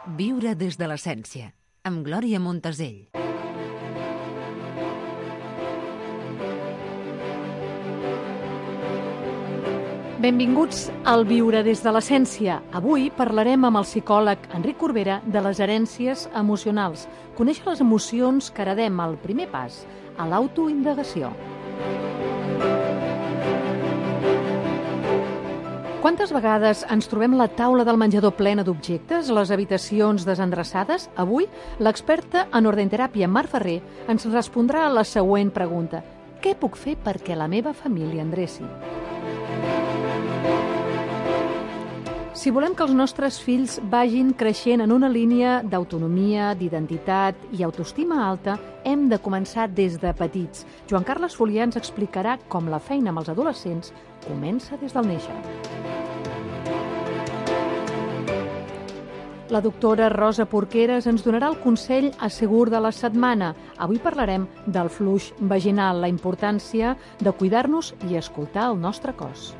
Viure des de l'essència, amb Glòria Montesell. Benvinguts al Viure des de l'essència. Avui parlarem amb el psicòleg Enric Corbera de les herències emocionals. Conèixer les emocions que heredem, el primer pas a l'autoindagació. Quantes vegades ens trobem la taula del menjador plena d'objectes, les habitacions desendreçades? Avui, l'experta en ordenteràpia Mar Ferrer ens respondrà a la següent pregunta. Què puc fer perquè la meva família endreci? Si volem que els nostres fills vagin creixent en una línia d'autonomia, d'identitat i autoestima alta, hem de començar des de petits. Joan Carles Folià ens explicarà com la feina amb els adolescents comença des del néixer. La doctora Rosa Porqueres ens donarà el consell assegur de la setmana. Avui parlarem del fluix vaginal, la importància de cuidar-nos i escoltar el nostre cos.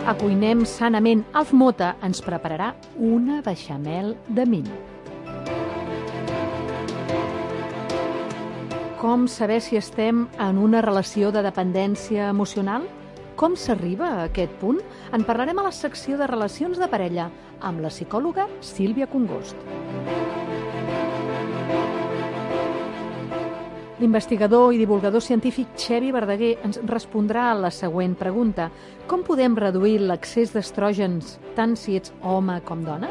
Acuinem sanament. Alf Mota ens prepararà una beixamel de mill. Com saber si estem en una relació de dependència emocional? Com s'arriba a aquest punt? En parlarem a la secció de relacions de parella amb la psicòloga Sílvia Congost. L'investigador i divulgador científic Xevi Verdaguer ens respondrà a la següent pregunta. Com podem reduir l'excés d'estrògens tant si ets home com dona?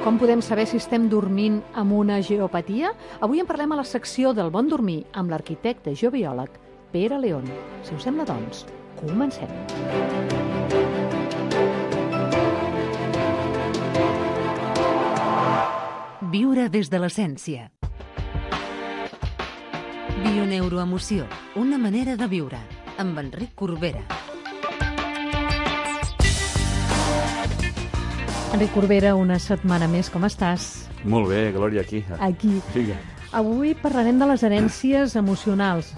Com podem saber si estem dormint amb una geopatia? Avui en parlem a la secció del bon dormir amb l'arquitecte geobiòleg Pere León. Si us sembla, doncs, comencem. Viure des de l'essència. Bioneuroemoció, una manera de viure, amb Enric Corbera. Enric Corbera, una setmana més, com estàs? Molt bé, Glòria, aquí. Aquí. Sí. Avui parlarem de les herències emocionals.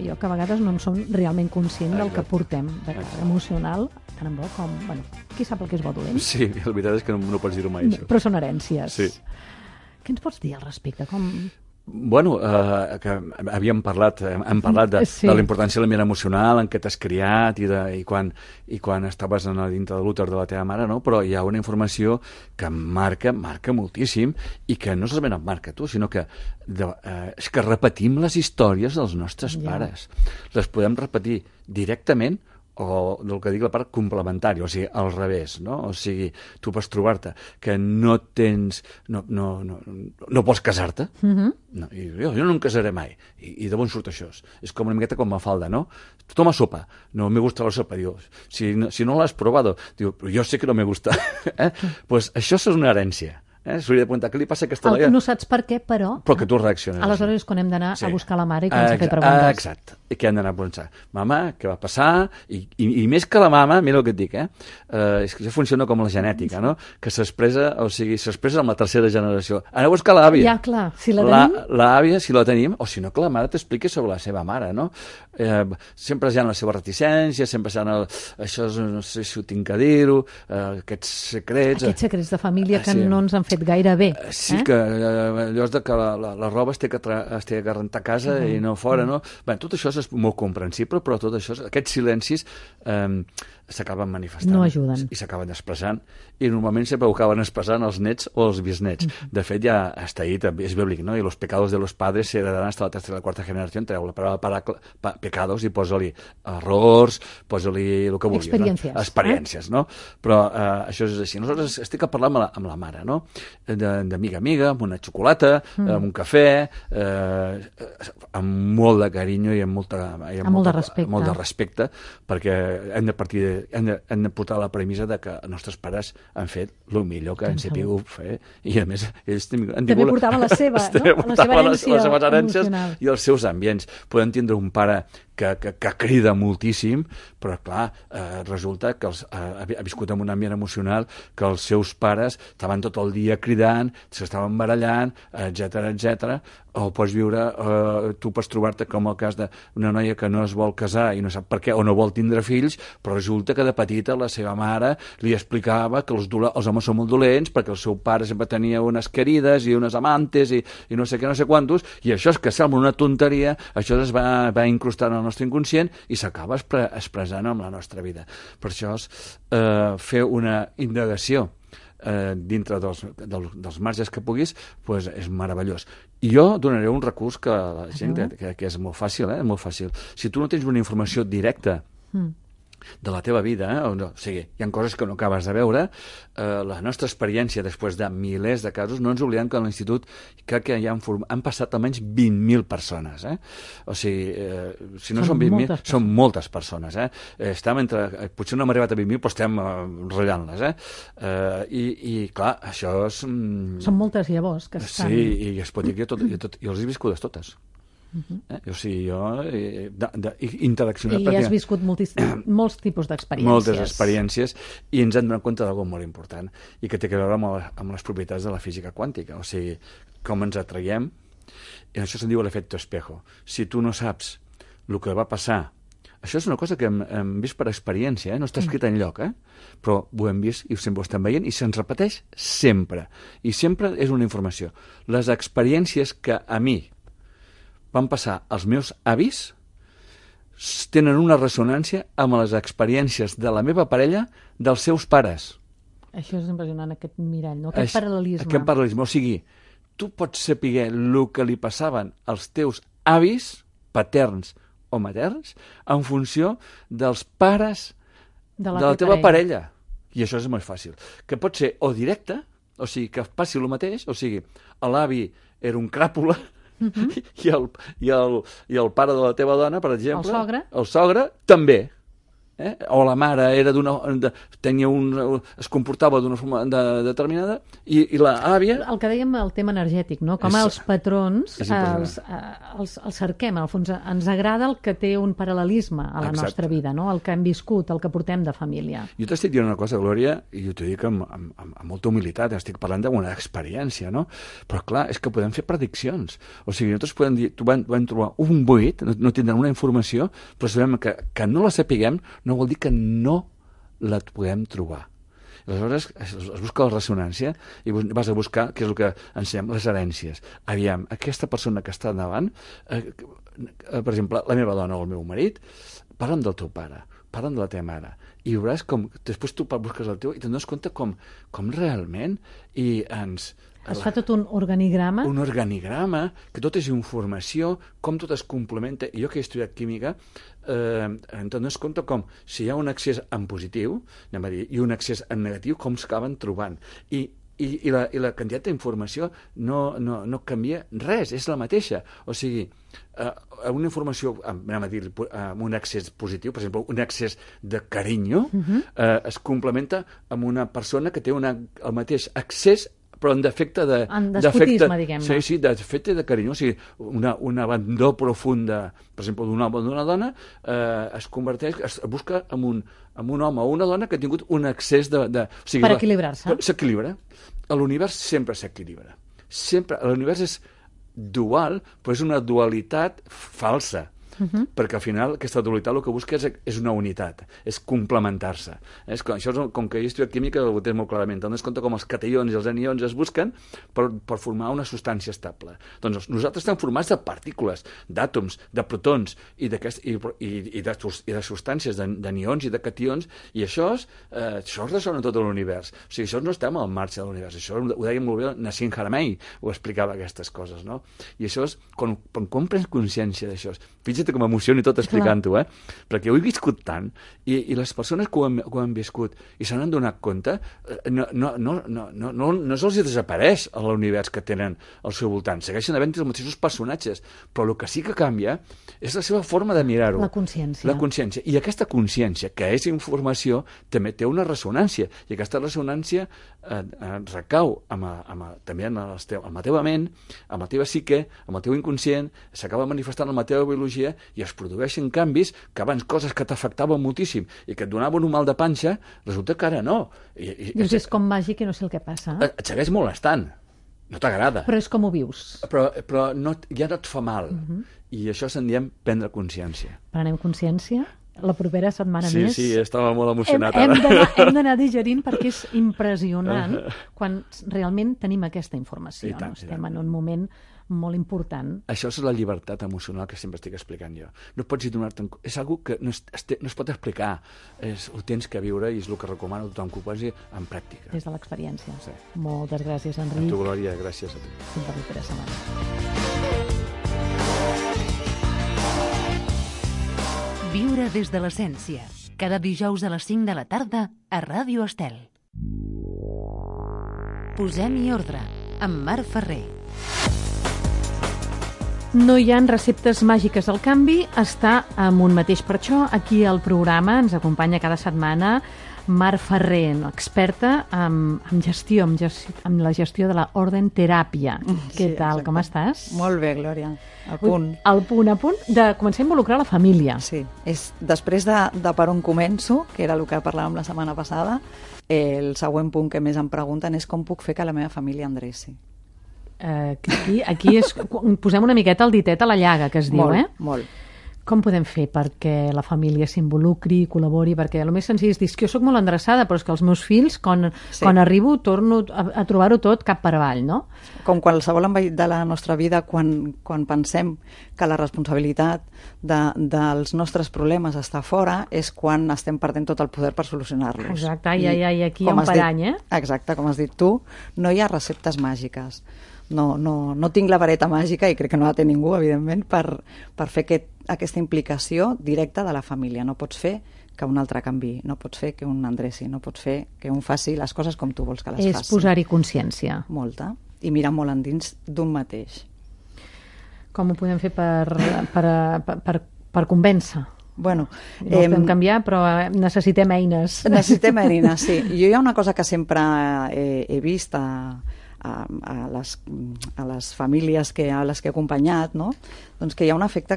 Jo que a vegades no en som realment conscient del que portem de cara emocional, tant en bo com... Bueno, qui sap el que és bo dolent? Sí, la veritat és que no pots dir-ho mai, això. Però són herències. Sí. Què ens pots dir al respecte? Com... Bueno, que hem parlat de la importància de l'ambient emocional, en què t'has criat i quan estaves dintre de l'úter de la teva mare, no? Però hi ha una informació que marca moltíssim i que no solament et marca tu, sinó que és que repetim les històries dels nostres pares. Les podem repetir directament o del que dic la part complementària, o sigui, al revés, no? O sigui, tu pots trobar-te que no tens... no vols casar-te, no, i jo no em casaré mai, i d'on surt això? És com una miqueta com Mafalda, no? Toma sopa, no me gusta la sopa, diu, si no l'has probado, diu, però jo sé que no me gusta, pues això és una herència. S'hauria de preguntar, què li passa a aquesta noia? No saps per què, però que tu reacciones. Aleshores és quan hem d'anar a buscar la mare i començar a fer preguntes. Exacte, i què hem d'anar a pensar? Mama, què va passar? I més que la mama, mira el que et dic, és que això funciona com la genètica, no? Que s'expressa amb la tercera generació. Aneu a buscar l'àvia. Ja, clar, si la tenim. L'àvia, si la tenim, o si no, que la mare t'expliqui sobre la seva mare, no? Sempre hi ha la seva reticència, sempre hi ha això, no sé si ho tinc a dir-ho, aquests secrets... Aquests secrets de família que no ens han fet gaire bé. Sí, que allò de que la roba es té que rentar a casa i no fora, no? Bé, tot això és molt comprensible, però tot això, aquests silencis s'acaben manifestant. No ajuden. I s'acaben expressant, i normalment sempre ho acaben expressant els nets o els bisnets. De fet, ja està dit, és bíblic, no? I los pecados de los padres se heredarán hasta la tercera i la quarta generació. Treu la paraula pecados i posa-li errors, posa-li el que vulguis. Experiències. No? Experiències, no? Però això és així. Nosaltres estic a parlar amb la mare, no? D'amiga a amiga, amb una xocolata, amb un cafè, amb molt de carinyo i amb molt de respecte, perquè hem de portar la premissa de que els nostres pares han fet el millor que han sabut fer, i a més ells també portaven la seva, no? La seva herència les seves herències i els seus ambients. Podem tindre un pare que crida moltíssim, però clar, resulta que ha viscut en un ambient emocional que els seus pares estaven tot el dia cridant, s'estaven barallant, etc. O pots viure, tu pots trobar-te com el cas d'una noia que no es vol casar i no sap per què, o no vol tindre fills, però resulta que de petita la seva mare li explicava que els homes són molt dolents perquè el seu pare sempre tenia unes querides i unes amantes i no sé què, no sé quantos, i això és que sembla una tonteria, això es va incrustar en el nostre inconscient i s'acaba expressant en la nostra vida. Per això és fer una indagació dintre dels marges que puguis, doncs és meravellós. I jo donaré un recurs que la gent que és molt fàcil, és molt fàcil. Si tu no tens una informació directa de la teva vida, o sigui, hi ha coses que no acabes de veure, la nostra experiència després de milers de casos, no ens oblidem que a l'Institut crec que han passat almenys 20.000 persones, o sigui, si no són 20.000, són moltes persones, potser no hem arribat a 20.000, però estem ratllant-les, i clar, això és... Són moltes llavors que estan... Sí, i es pot dir que jo les he viscudes totes. O sigui, jo interaccionat... I has viscut molts tipus d'experiències. Moltes experiències, i ens hem donat compte d'alguna molt important, i que té a veure amb les propietats de la física quàntica, o sigui, com ens atraiem, i això se'n diu l'efecte espejo. Si tu no saps el que va passar, això és una cosa que hem vist per experiència, no està escrit enlloc, però ho hem vist i sempre ho estem veient, i se'ns repeteix sempre. I sempre és una informació. Les experiències que a mi van passar els meus avis tenen una ressonància amb les experiències de la meva parella dels seus pares. Això és impressionant, aquest mirall, no? Aquest paral·lelisme. Aquest paral·lelisme, o sigui, tu pots saber el que li passaven als teus avis, paterns o materns, en funció dels pares de la teva parella. I això és molt fàcil. Que pot ser o directe, o sigui, que passi el mateix, o sigui, l'avi era un cràpula, i el pare de la teva dona, per exemple, el sogre també, o la mare era es comportava d'una forma determinada i l'àvia... El que dèiem, el tema energètic, no? Com els patrons els cerquem, al fons ens agrada el que té un paral·lelisme a la nostra vida, no? El que hem viscut, el que portem de família. Jo t'estic dient una cosa, Glòria, i jo t'ho dic amb molta humilitat, estic parlant d'una experiència, no? Però clar, és que podem fer prediccions, o sigui, nosaltres podem dir, vam trobar un buit, no tindrem una informació, però sabem que no la sapiguem no vol dir que no la podem trobar. Aleshores, es busca la ressonància i vas a buscar què és el que ensenyem, les herències. Aviam, aquesta persona que està davant, per exemple, la meva dona o el meu marit, parla'm del teu pare, parla'm de la teva mare, i veuràs com, després tu busques el teu i te'n dones compte com realment i ens... Es fa tot un organigrama? Un organigrama, que tot és informació, com tot es complementa. I jo que he estudiat química, em dones compte com, si hi ha un accés en positiu, anem a dir, i un accés en negatiu, com s'acaben trobant. I la quantitat d'informació no canvia res, és la mateixa. O sigui, una informació, anem a dir, amb un accés positiu, per exemple, un accés de carinyo, es complementa amb una persona que té el mateix accés però en defecte de... En despotisme, diguem-ne. Sí, d'efecte de carinyo. O sigui, una abandó profunda, per exemple, d'un home o d'una dona, es converteix, es busca en un home o una dona que ha tingut un excés de... O sigui, per equilibrar-se. S'equilibra. L'univers sempre s'equilibra. Sempre. L'univers és dual, però és una dualitat falsa. Perquè al final aquesta dualitat el que busca és una unitat, és complementar-se. Això és com que he estudiat química ho tens molt clarament, te'n dones compte com els cations i els anions es busquen per formar una substància estable. Doncs nosaltres estem formats de partícules, d'àtoms, de protons i de substàncies, d'anions i de cations, i això ressona tot l'univers. O sigui, això no estem al marge de l'univers, això ho deia molt bé Nassim Haramein, ho explicava aquestes coses, no? I això és, quan prens consciència d'això, fixa't com m'emocioni tot explicant-ho, perquè ho he viscut tant, i les persones que ho han viscut i se n'han donat compte, no se'ls desapareix a l'univers que tenen al seu voltant, segueixen havent els mateixos personatges, però el que sí que canvia és la seva forma de mirar-ho. La consciència. La consciència. I aquesta consciència, que és informació, també té una ressonància, i aquesta ressonància recau també en la teva ment, amb la teva psique, amb el teu inconscient, s'acaba manifestant en la teva biologia i es produeixen canvis que abans coses que t'afectaven moltíssim i que et donaven un mal de panxa, resulta que ara no. Dius, és com màgic i no sé el que passa. Et segueix molestant. No t'agrada. Però és com ho vius. Però no, ja no et fa mal. I això se'n diem prendre consciència. Prenem consciència? La propera setmana més... Sí, estava molt emocionat ara. Hem d'anar digerint perquè és impressionant quan realment tenim aquesta informació. I tant, Estem en un moment molt important. Això és la llibertat emocional que sempre estic explicant jo. No pots donar-te... És una que no es pot explicar. Ho tens que viure i és el que recomano a tothom que ho posi en pràctica. Des de l'experiència. Sí. Moltes gràcies, Enric. A tu, Glòria, gràcies a tu. Fins la propera setmana. Viure des de l'essència. Cada dijous a les 5 de la tarda a Ràdio Estel. Posem-hi ordre amb Marc Ferrer. No hi ha receptes màgiques. El canvi està en un mateix. Per això aquí al programa ens acompanya cada setmana Marc Ferrer, experta en gestió, en la gestió de la Orden Teràpia. Què tal, com estàs? Molt bé, Glòria. Al punt. Al punt, a punt de començar a involucrar la família. Sí, després de per on començo, que era el que parlàvem la setmana passada, el següent punt que més em pregunten és com puc fer que la meva família endreci. Aquí posem una miqueta el ditet a la llaga, que es diu, Molt. Com podem fer perquè la família s'involucri, col·labori? Perquè el més senzill és dir que jo soc molt endreçada, però és que els meus fills, quan arribo, torno a trobar-ho tot cap per avall, no? Com qualsevol àmbit de la nostra vida, quan pensem que la responsabilitat dels nostres problemes està fora, és quan estem perdent tot el poder per solucionar-los. Exacte, aquí hi ha un parany, Exacte, com has dit tu, no hi ha receptes màgiques. No tinc la vareta màgica, i crec que no la té ningú, evidentment, per fer aquesta implicació directa de la família. No pots fer que un altre canvi, no pots fer que un endreci, no pots fer que un faci les coses com tu vols que les faci. És posar-hi consciència. Molta. I mirar molt endins d'un mateix. Com ho podem fer per convèncer? Bueno, no podem canviar, però necessitem eines. Necessitem eines, sí. Jo hi ha una cosa que sempre he vist a les famílies a les que he acompanyat, no? Doncs que hi ha un efecte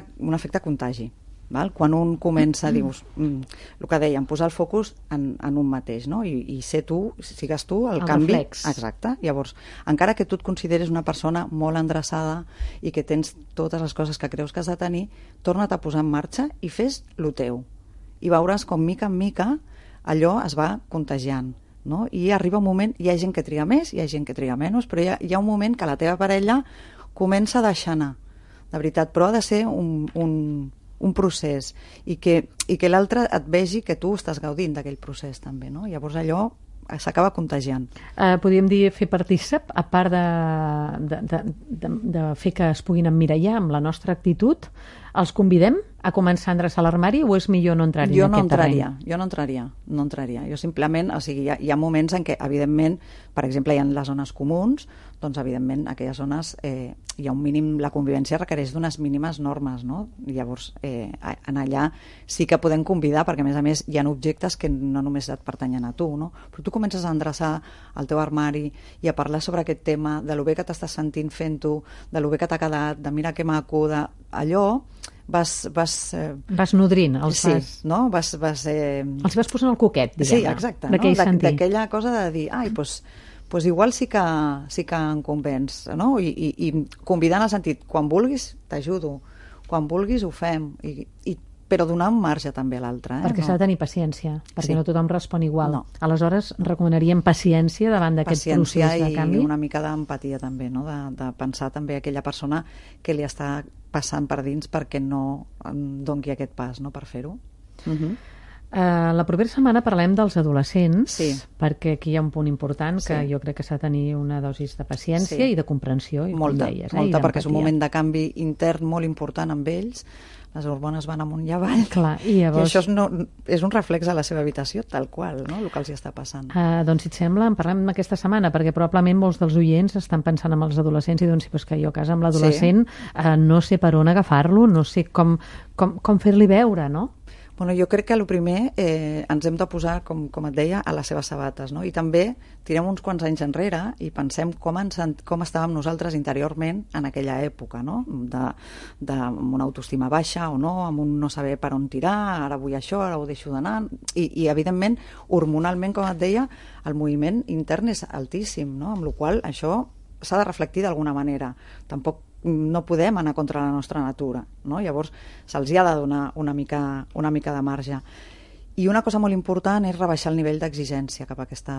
contagi. Val? Quan un comença, dius, el que dèiem, posar el focus en un mateix, no? I sigues tu el canvi. Reflex. Exacte. Llavors, encara que tu et consideres una persona molt endreçada i que tens totes les coses que creus que has de tenir, torna't a posar en marxa i fes lo teu. I veuràs com, mica en mica, allò es va contagiant. No? I arriba un moment, hi ha gent que triga més, hi ha gent que triga menys, però hi ha un moment que la teva parella comença a deixar anar, de veritat, però ha de ser un procés i que l'altre et vegi que tu estàs gaudint d'aquell procés també, no? Llavors allò s'acaba contagiant. Podríem dir fer partícip, a part de fer que es puguin emmirallar amb la nostra actitud, els convidem a començar a endreçar l'armari o és millor no entrar-hi en aquest terreny? Jo no entraria. Jo simplement, o sigui, hi ha moments en què, evidentment, per exemple, hi ha les zones comuns, doncs, evidentment, en aquelles zones hi ha un mínim, la convivència requereix d'unes mínimes normes, no? Llavors, en allà sí que podem convidar, perquè, a més, hi ha objectes que no només et pertanyen a tu, no? Però tu comences a endreçar el teu armari i a parlar sobre aquest tema, de lo bé que t'estàs sentint fent-ho, de lo bé que t'ha quedat, de mira que maco, d'allò, vas nodrint, els els vas posant el coquet, diguem-ne. Sí, exacte, d'aquella cosa de dir, doncs igual sí que em convenç, no? I convidar en el sentit, quan vulguis t'ajudo, quan vulguis ho fem, però donar un marge també a l'altre. Perquè s'ha de tenir paciència, perquè no tothom respon igual. Aleshores, recomanaríem paciència davant d'aquest procés de canvi. I una mica d'empatia també, no? De pensar també aquella persona que li està passant per dins perquè no doni aquest pas, no? Per fer-ho. La propera setmana parlem dels adolescents, perquè aquí hi ha un punt important que jo crec que s'ha de tenir una dosis de paciència i de comprensió. Molta, perquè és un moment de canvi intern molt important amb ells. Les hormones van amunt i avall. Clar, i això és un reflex a la seva habitació, tal qual, no? El que els hi està passant. Doncs, si et sembla, en parlem aquesta setmana, perquè probablement molts dels oients estan pensant en els adolescents i doncs, que jo a casa amb l'adolescent no sé per on agafar-lo, no sé com fer-li veure, no? Bueno, jo crec que el primer ens hem de posar, com et deia, a les seves sabates, no? I també tirem uns quants anys enrere i pensem com estàvem nosaltres interiorment en aquella època, no? Amb una autoestima baixa o no, amb un no saber per on tirar, ara vull això, ara ho deixo d'anar, i evidentment, hormonalment, com et deia, el moviment intern és altíssim, no? Amb la qual cosa això s'ha de reflectir d'alguna manera. Tampoc no podem anar contra la nostra natura, no? Llavors se'ls ha de donar una mica de marge. I una cosa molt important és rebaixar el nivell d'exigència cap a aquesta...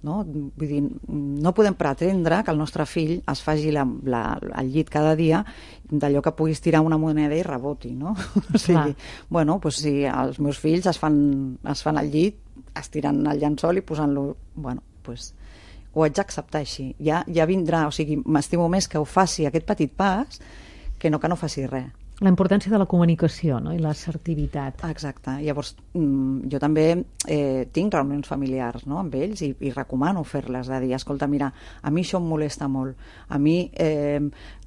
No? Vull dir, no podem pretendre que el nostre fill es faci el llit cada dia d'allò que puguis tirar una moneda i reboti, no? O sigui, bueno, pues si els meus fills es fan al llit, es tiren el llençol i posant-lo... Bueno, pues ho haig d'acceptar així. Ja vindrà, o sigui, m'estimo més que ho faci aquest petit pas que no faci res. La importància de la comunicació, no? I l'assertivitat. Exacte. Llavors, jo també tinc reunions familiars, no? Amb ells i recomano fer-les, de dir, escolta, mira, a mi això em molesta molt. A mi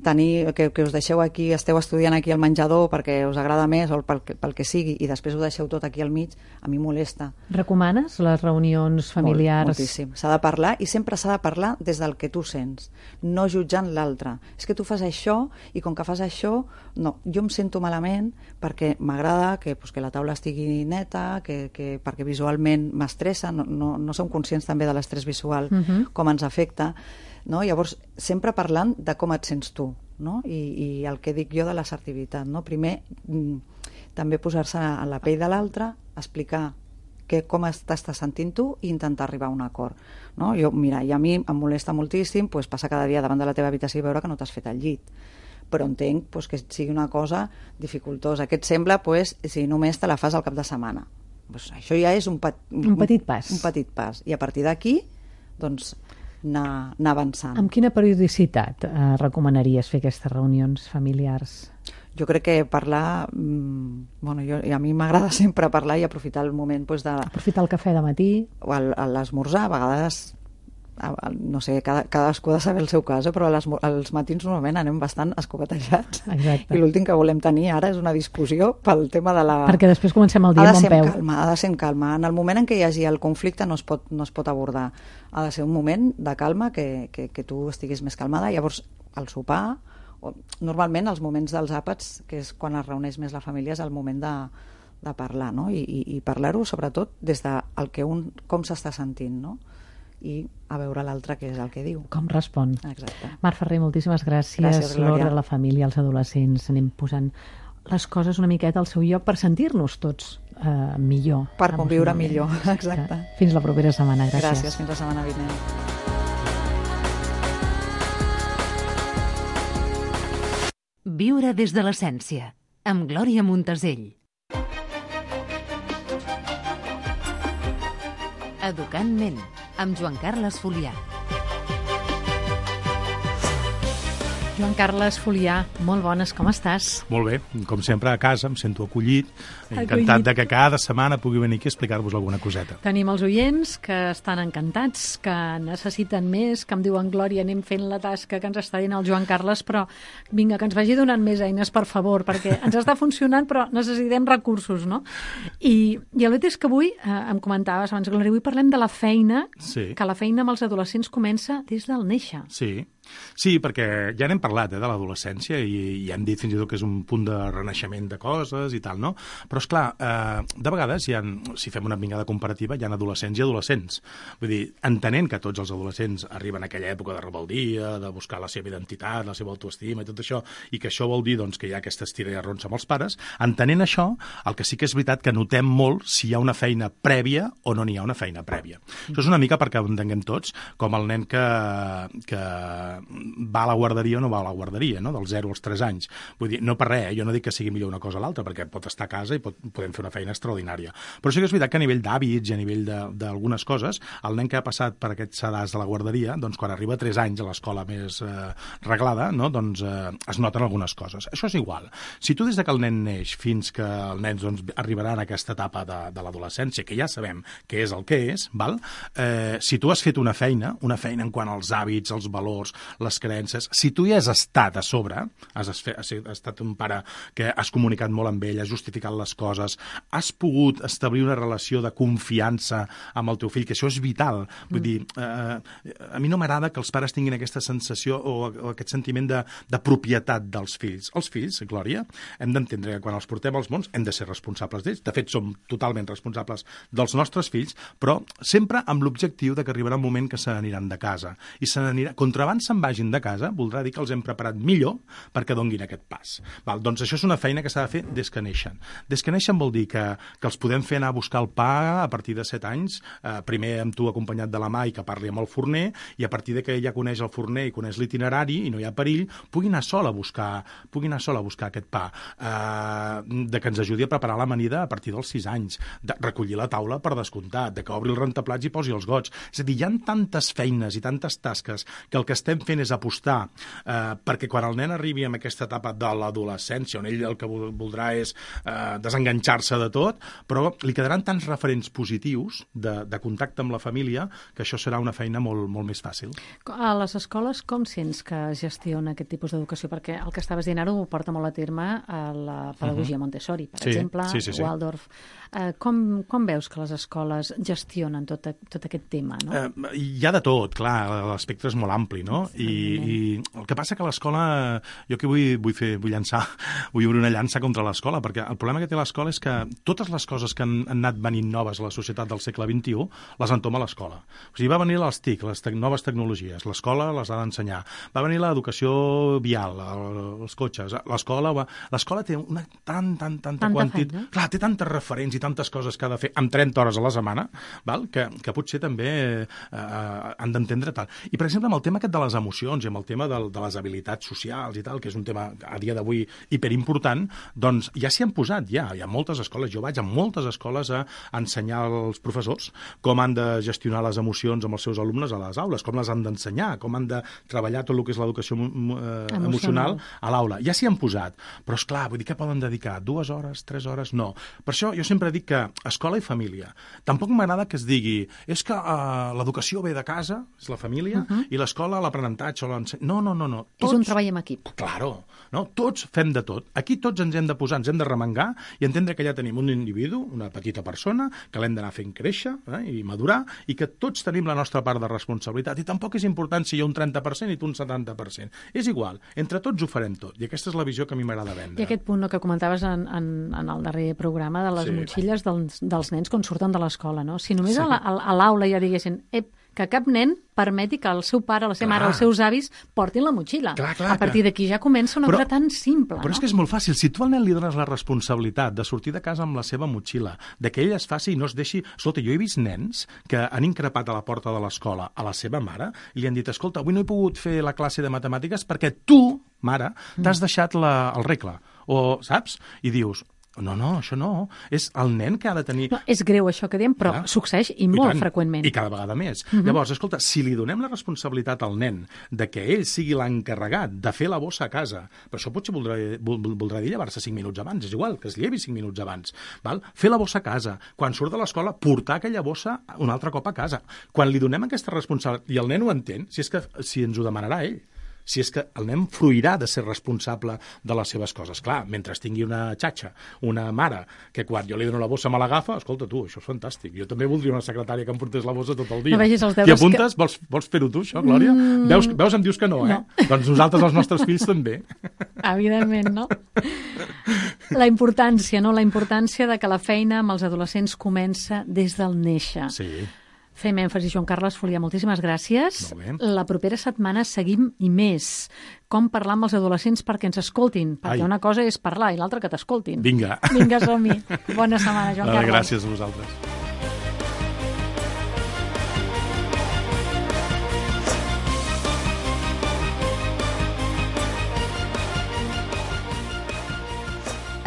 tenir que us deixeu aquí, esteu estudiant aquí al menjador perquè us agrada més o pel que sigui, i després ho deixeu tot aquí al mig, a mi molesta. Recomanes les reunions familiars? Moltíssim. S'ha de parlar, i sempre s'ha de parlar des del que tu sents, no jutjant l'altre. És que tu fas això, i com que fas això, no, jo em sento malament perquè m'agrada que la taula estigui neta, perquè visualment m'estressa, no som conscients també de l'estrès visual, com ens afecta, no? Llavors, sempre parlant de com et sents tu, no? I el que dic jo de l'assertivitat, no? Primer, també posar-se en la pell de l'altre, explicar com t'estàs sentint tu i intentar arribar a un acord, no? Mira, i a mi em molesta moltíssim passar cada dia davant de la teva habitació i veure que no t'has fet el llit, però entenc que sigui una cosa dificultosa, que et sembla si només te la fas al cap de setmana. Això ja és un petit pas. Un petit pas. I a partir d'aquí, doncs, anar avançant. Amb quina periodicitat recomanaries fer aquestes reunions familiars? Jo crec que parlar... a mi m'agrada sempre parlar i aprofitar el moment de... Aprofitar el cafè de matí. O a l'esmorzar, a vegades... no sé, cadascú ha de saber el seu cas, però als matins normalment anem bastant escopetejats. Exacte. I l'últim que volem tenir ara és una discussió pel tema de la... Perquè després comencem el dia amb bon peu. Ha de ser en calma. En el moment en què hi hagi el conflicte no es pot abordar. Ha de ser un moment de calma, que tu estiguis més calmada. Llavors, al sopar, normalment els moments dels àpats, que és quan es reuneix més la família, és el moment de parlar, no? I parlar-ho sobretot des de com s'està sentint, no? I a veure l'altre què és el que diu. Com respon. Exacte. Mar Ferrer, moltíssimes gràcies. Gràcies, Glòria. L'ordre, la família, els adolescents, anem posant les coses una miqueta al seu lloc per sentir-nos tots millor. Per conviure millor, exacte. Fins la propera setmana. Gràcies, fins la setmana vinent. Viure des de l'essència, amb Glòria Montesell. Educant ment, amb Joan Carles Folià. Joan Carles Folià, molt bones, com estàs? Molt bé, com sempre a casa, em sento acollit, encantat de que cada setmana pugui venir aquí a explicar-vos alguna coseta. Tenim els oients que estan encantats, que necessiten més, que em diuen, Glòria, anem fent la tasca que ens està dient el Joan Carles, però vinga, que ens vagi donant més eines, per favor, perquè ens està funcionant, però necessitem recursos, no? I el fet és que avui, em comentaves abans, Glòria, avui parlem de la feina, que la feina amb els adolescents comença des del néixer. Sí, perquè ja n'hem parlat de l'adolescència i hem dit fins i tot que és un punt de renaixement de coses i tal, no? Però, esclar, de vegades, si fem una vingada comparativa, hi ha adolescents i adolescents. Vull dir, entenent que tots els adolescents arriben a aquella època de rebeldia, de buscar la seva identitat, la seva autoestima i tot això, i que això vol dir doncs, que hi ha aquesta estira i arronsa amb els pares, entenent això, el que sí que és veritat que notem molt si hi ha una feina prèvia o no n'hi ha una feina prèvia. Això és una mica perquè ho entenguem tots, com el nen que va a la guarderia o no va a la guarderia, no? Dels 0 als 3 anys. Vull dir, no per res, jo no dic que sigui millor una cosa o l'altra, perquè pot estar a casa i podem fer una feina extraordinària. Però sí que és veritat que a nivell d'hàbits i a nivell d'algunes coses, el nen que ha passat per aquests sedars de la guarderia, doncs quan arriba a 3 anys a l'escola més reglada, no? Doncs es noten algunes coses. Això és igual. Si tu des que el nen neix fins que el nen doncs, arribarà en aquesta etapa de l'adolescència, que ja sabem què és el que és, val? Si tu has fet una feina en quant als hàbits, els valors, les creences. Si tu hi has estat a sobre, has estat un pare que has comunicat molt amb ell, has justificat les coses, has pogut establir una relació de confiança amb el teu fill, que això és vital. Vull dir, a mi no m'agrada que els pares tinguin aquesta sensació o aquest sentiment de propietat dels fills. Els fills, Glòria, hem d'entendre que quan els portem als mons hem de ser responsables d'ells. De fet, som totalment responsables dels nostres fills, però sempre amb l'objectiu de que arribarà un moment que se n'aniran de casa. I contra abans se'n vagin de casa, voldrà dir que els hem preparat millor perquè donguin aquest pas. Doncs això és una feina que s'ha de fer des que neixen. Des que neixen vol dir que els podem fer anar a buscar el pa a partir de 7 anys, primer amb tu acompanyat de la mà i que parli amb el forner, i a partir de que ella coneix el forner i coneix l'itinerari i no hi ha perill, pugui anar sola a buscar aquest pa, de que ens ajudi a preparar l'amanida a partir dels 6 anys, de recollir la taula per descomptat, de que obri el rentaplats i posi els gots. És a dir, hi ha tantes feines i tantes tasques que el que estem fent és apostar perquè quan el nen arribi en aquesta etapa de l'adolescència, on ell el que voldrà és desenganxar-se de tot, però li quedaran tants referents positius de contacte amb la família que això serà una feina molt, molt més fàcil. A les escoles com sents que es gestiona aquest tipus d'educació? Perquè el que estaves dient ara ho porta molt a terme a la pedagogia Montessori, per exemple, Waldorf. Com veus que les escoles gestionen tot aquest tema? No? Hi ha de tot, clar, l'espectre és molt ampli, no? I el que passa que l'escola, jo que vull obrir una llança contra l'escola, perquè el problema que té l'escola és que totes les coses que han anat venint noves a la societat del segle XXI les entoma l'escola. O sigui, va venir les TIC, les noves tecnologies, l'escola les ha d'ensenyar. Va venir l'educació vial, els cotxes, l'escola té una tanta quantitat... Clar, té tantes referents i tantes coses que ha de fer amb 30 hores a la setmana, que potser també han d'entendre tal. I, per exemple, amb el tema aquest de les emocions i amb el tema de les habilitats socials i tal, que és un tema a dia d'avui hiperimportant, doncs ja s'hi han posat, hi ha moltes escoles. Jo vaig a moltes escoles a ensenyar als professors com han de gestionar les emocions amb els seus alumnes a les aules, com les han d'ensenyar, com han de treballar tot el que és l'educació emocional a l'aula. Ja s'hi han posat, però és clar, vull dir que poden dedicar 2 hores, 3 hores, no. Per això jo sempre dic que escola i família. Tampoc m'agrada que es digui és que l'educació ve de casa, és la família, i l'escola l'aprenentatge o l'ensenyament. No. És un treball en equip. Claro, no? Tots fem de tot. Aquí tots ens hem de posar, ens hem de remengar i entendre que ja tenim un individu, una petita persona, que l'hem d'anar fent créixer i madurar, i que tots tenim la nostra part de responsabilitat. I tampoc és important si hi ha un 30% i tu un 70%. És igual, entre tots ho farem tot. I aquesta és la visió que a mi m'agrada vendre. I aquest punt que comentaves en el darrer programa de les motxilles dels nens quan surten de l'escola, no? Si només a l'aula ja diguessin que cap nen permeti que el seu pare, la seva mare, els seus avis portin la motxilla. A partir d'aquí ja comença una cosa tan simple. Però és que és molt fàcil. Si tu al nen li dones la responsabilitat de sortir de casa amb la seva motxilla, de que ell es faci i no es deixi... Escolta, jo he vist nens que han increpat a la porta de l'escola a la seva mare i li han dit, escolta, avui no he pogut fer la classe de matemàtiques perquè tu, mare, t'has deixat el regle. O, saps? I dius... No, això no. És el nen que ha de tenir... No, és greu això que diem, però succeeix i molt freqüentment. I cada vegada més. Llavors, escolta, si li donem la responsabilitat al nen de que ell sigui l'encarregat de fer la bossa a casa, però això potser voldrà dir llevar-se 5 minuts abans, és igual, que es llevi 5 minuts abans. Val? Fer la bossa a casa. Quan surt de l'escola, portar aquella bossa un altre cop a casa. Quan li donem aquesta responsabilitat, i el nen ho entén, si ens ho demanarà ell. Si és que el nen fruirà de ser responsable de les seves coses. Clar, mentre tingui una xatxa, una mare, que quan jo li dono la bossa me l'agafa, escolta tu, això és fantàstic. Jo també voldria una secretària que em portés la bossa tot el dia. No vegis els deures. T'hi apuntes? Vols fer-ho tu, això, Glòria? Veus, em dius que no, eh? No. Doncs nosaltres, els nostres fills, també. Evidentment, no? La importància de que la feina amb els adolescents comença des del néixer. Sí. Fem èmfasi, Joan Carles Folià, moltíssimes gràcies. La propera setmana seguim i més. Com parlar amb els adolescents perquè ens escoltin. Perquè una cosa és parlar i l'altra que t'escoltin. Vinga, som-hi. Bona setmana, Joan Carles. Gràcies a vosaltres.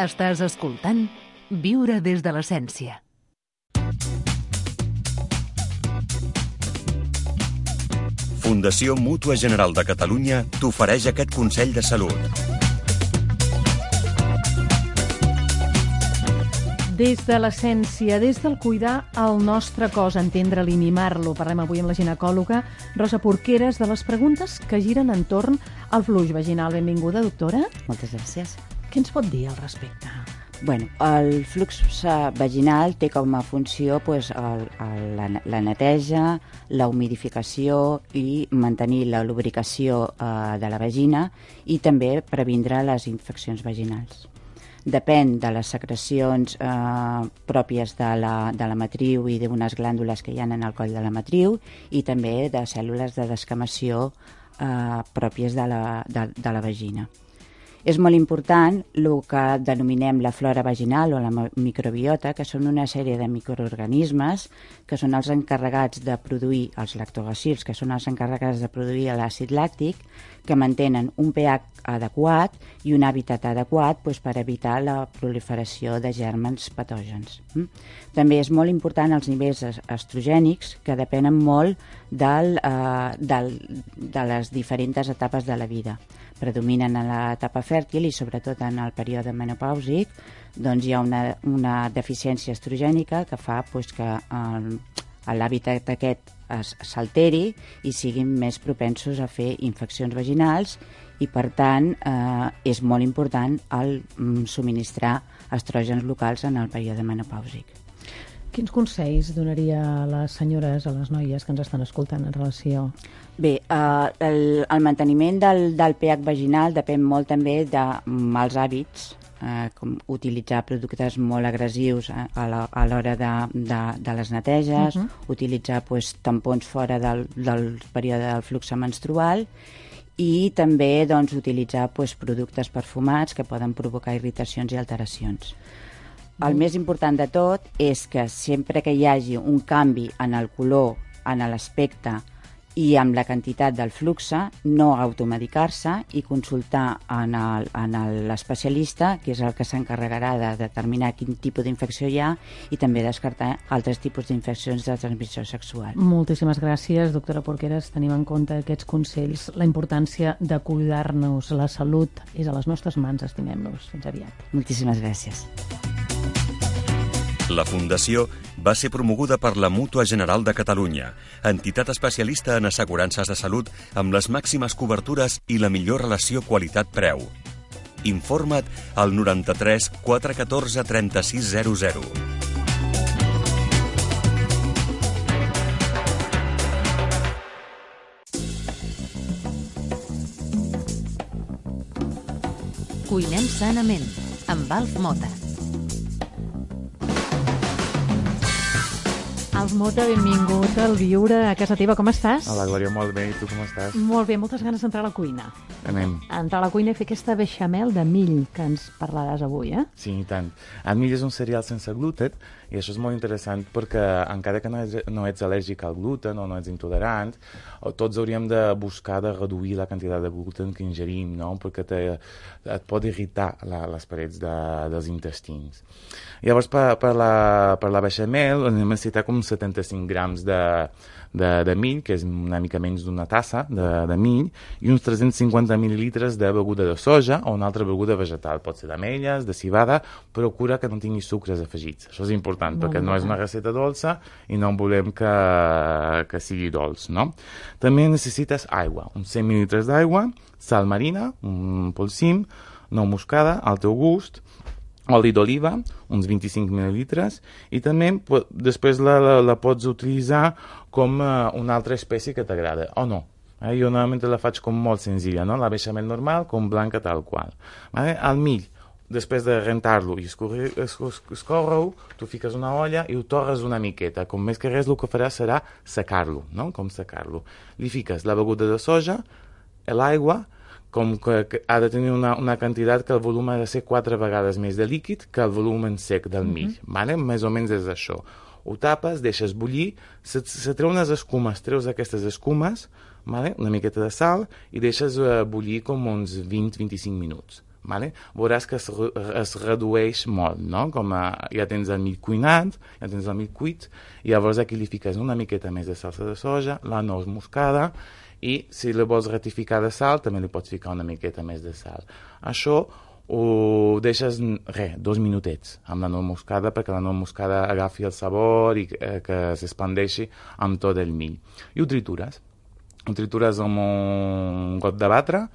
Estàs escoltant Viure des de l'essència. Fundació Mútua General de Catalunya t'ofereix aquest consell de salut. Des de l'essència, des del cuidar el nostre cos, entendre'l i mimar-lo. Parlem avui amb la ginecòloga Rosa Porqueres de les preguntes que giren entorn al flux vaginal. Benvinguda, doctora. Moltes gràcies. Què ens pot dir al respecte? Bueno, el flux vaginal té com a funció la neteja, la humidificació i mantenir la lubricació de la vagina i també previndre les infeccions vaginals. Depèn de les secrecions pròpies de la matriu i d'unes glàndules que hi ha en el coll de la matriu i també de cèl·lules de descamació pròpies de la vagina. És molt important el que denominem la flora vaginal o la microbiota, que són una sèrie de microorganismes que són els encarregats de produir els lactobacils, que són els encarregats de produir l'àcid làctic, que mantenen un pH adequat i un hàbitat adequat per evitar la proliferació de gèrmens patògens. També és molt important els nivells estrogènics, que depenen molt de les diferents etapes de la vida. Predominen en l'etapa fèrtil i sobretot en el període menopàusic, doncs hi ha una deficiència estrogènica que fa que l'hàbitat aquest s'alteri i siguin més propensos a fer infeccions vaginals i, per tant, és molt important el subministrar estrògens locals en el període menopàusic. Quins consells donaria a les senyores, a les noies que ens estan escoltant en relació? Bé, el manteniment del pH vaginal depèn molt també de mals hàbits, com utilitzar productes molt agressius a l'hora de les neteges, utilitzar tampons fora del període del flux menstrual i també utilitzar productes perfumats que poden provocar irritacions i alteracions. El més important de tot és que sempre que hi hagi un canvi en el color, en l'aspecte i amb la quantitat del flux, no automedicar-se i consultar en l'especialista, que és el que s'encarregarà de determinar quin tipus d'infecció hi ha i també descartar altres tipus d'infeccions de transmissió sexual. Moltíssimes gràcies, doctora Porqueres. Tenim en compte aquests consells, la importància de cuidar-nos. La salut és a les nostres mans, estimem-nos. Fins aviat. Moltíssimes gràcies. La Fundació va ser promoguda per la Mútua General de Catalunya, entitat especialista en assegurances de salut amb les màximes cobertures i la millor relació qualitat-preu. Informa't al 93 414 3600. Cuinem sanament, amb Alf Mota. Alf Mota, benvingut al Viure a casa teva. Com estàs? Hola, Glòria, molt bé. I tu com estàs? Molt bé, moltes ganes d'entrar a la cuina. Anem. Entrar a la cuina i fer aquesta beixamel de mill que ens parlaràs avui, eh? Sí, i tant. El mill és un cereal sense gluten i això és molt interessant perquè encara que no ets al·lèrgic al gluten o no ets intolerant, tots hauríem de buscar de reduir la quantitat de gluten que ingerim, no? Perquè et pot irritar les parets dels intestins. Llavors, per la beixamel necessitem com 75 grams de mill, que és una mica menys d'una tassa de mill, i uns 350 mil·lilitres de beguda de soja o una altra beguda vegetal. Pot ser d'ametlles, de civada, procura que no tingui sucres afegits. Això és important, perquè no és una recepta dolça i no volem que sigui dolç, no? També necessites aigua, uns 100 mil·lilitres d'aigua, sal marina, un polsim, nou moscada, al teu gust, oli d'oliva, uns 25 mil·lilitres, i també després la pots utilitzar com una altra espècie que t'agrada, o no. Jo normalment la faig com molt senzilla, no? La beixamel normal com blanca tal qual. El mill, després de rentar-lo i escórrer-ho, tu fiques una olla i ho torres una miqueta. Com més que res el que faràs serà secar-lo, no? Com secar-lo. Li fiques la beguda de soja, l'aigua, com que ha de tenir una quantitat que el volum ha de ser 4 vegades més de líquid que el volum en sec del mill. Més o menys és això. Ho tapes, deixes bullir, se treu unes escumes, treus aquestes escumes, una miqueta de sal, i deixes bullir com uns 20-25 minuts. Veuràs que es redueix molt, no? Com ja tens el mill cuinat, ja tens el mill cuit, i llavors aquí li fiques una miqueta més de salsa de soja, la nous moscada, i si la vols ratificar de sal, també li pots ficar una miqueta més de sal. Això ho deixes 2 minutets amb la noix moscada perquè la noix moscada agafi el sabor i que s'expandeixi amb tot el mill. I ho tritures. Ho tritures amb un got de batre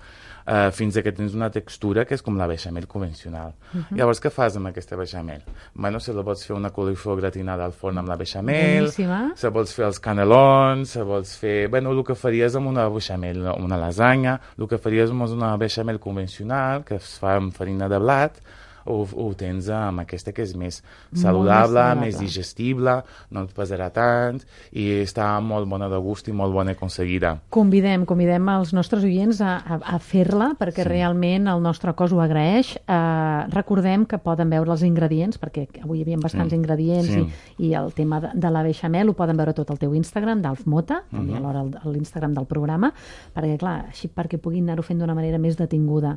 fins que tens una textura que és com la beixamel convencional. Llavors, què fas amb aquesta beixamel? Bueno, se la pots fer una coliflor gratinada al forn amb la beixamel, se vols fer els canelons, se vols fer... Bueno, el que faries amb una beixamel, una lasanya, el que faries amb una beixamel convencional, que es fa amb farina de blat, ho tens amb aquesta que és més saludable, més digestible, no et pesarà tant i està molt bona de gust i molt bona aconseguida. Convidem els nostres oients a fer-la perquè realment el nostre cos ho agraeix. Recordem que poden veure els ingredients, perquè avui hi havia bastants ingredients i el tema de la beixamel ho poden veure tot al teu Instagram, d'Alf Mota, també alhora l'Instagram del programa, perquè clar, així perquè puguin anar-ho fent d'una manera més detinguda.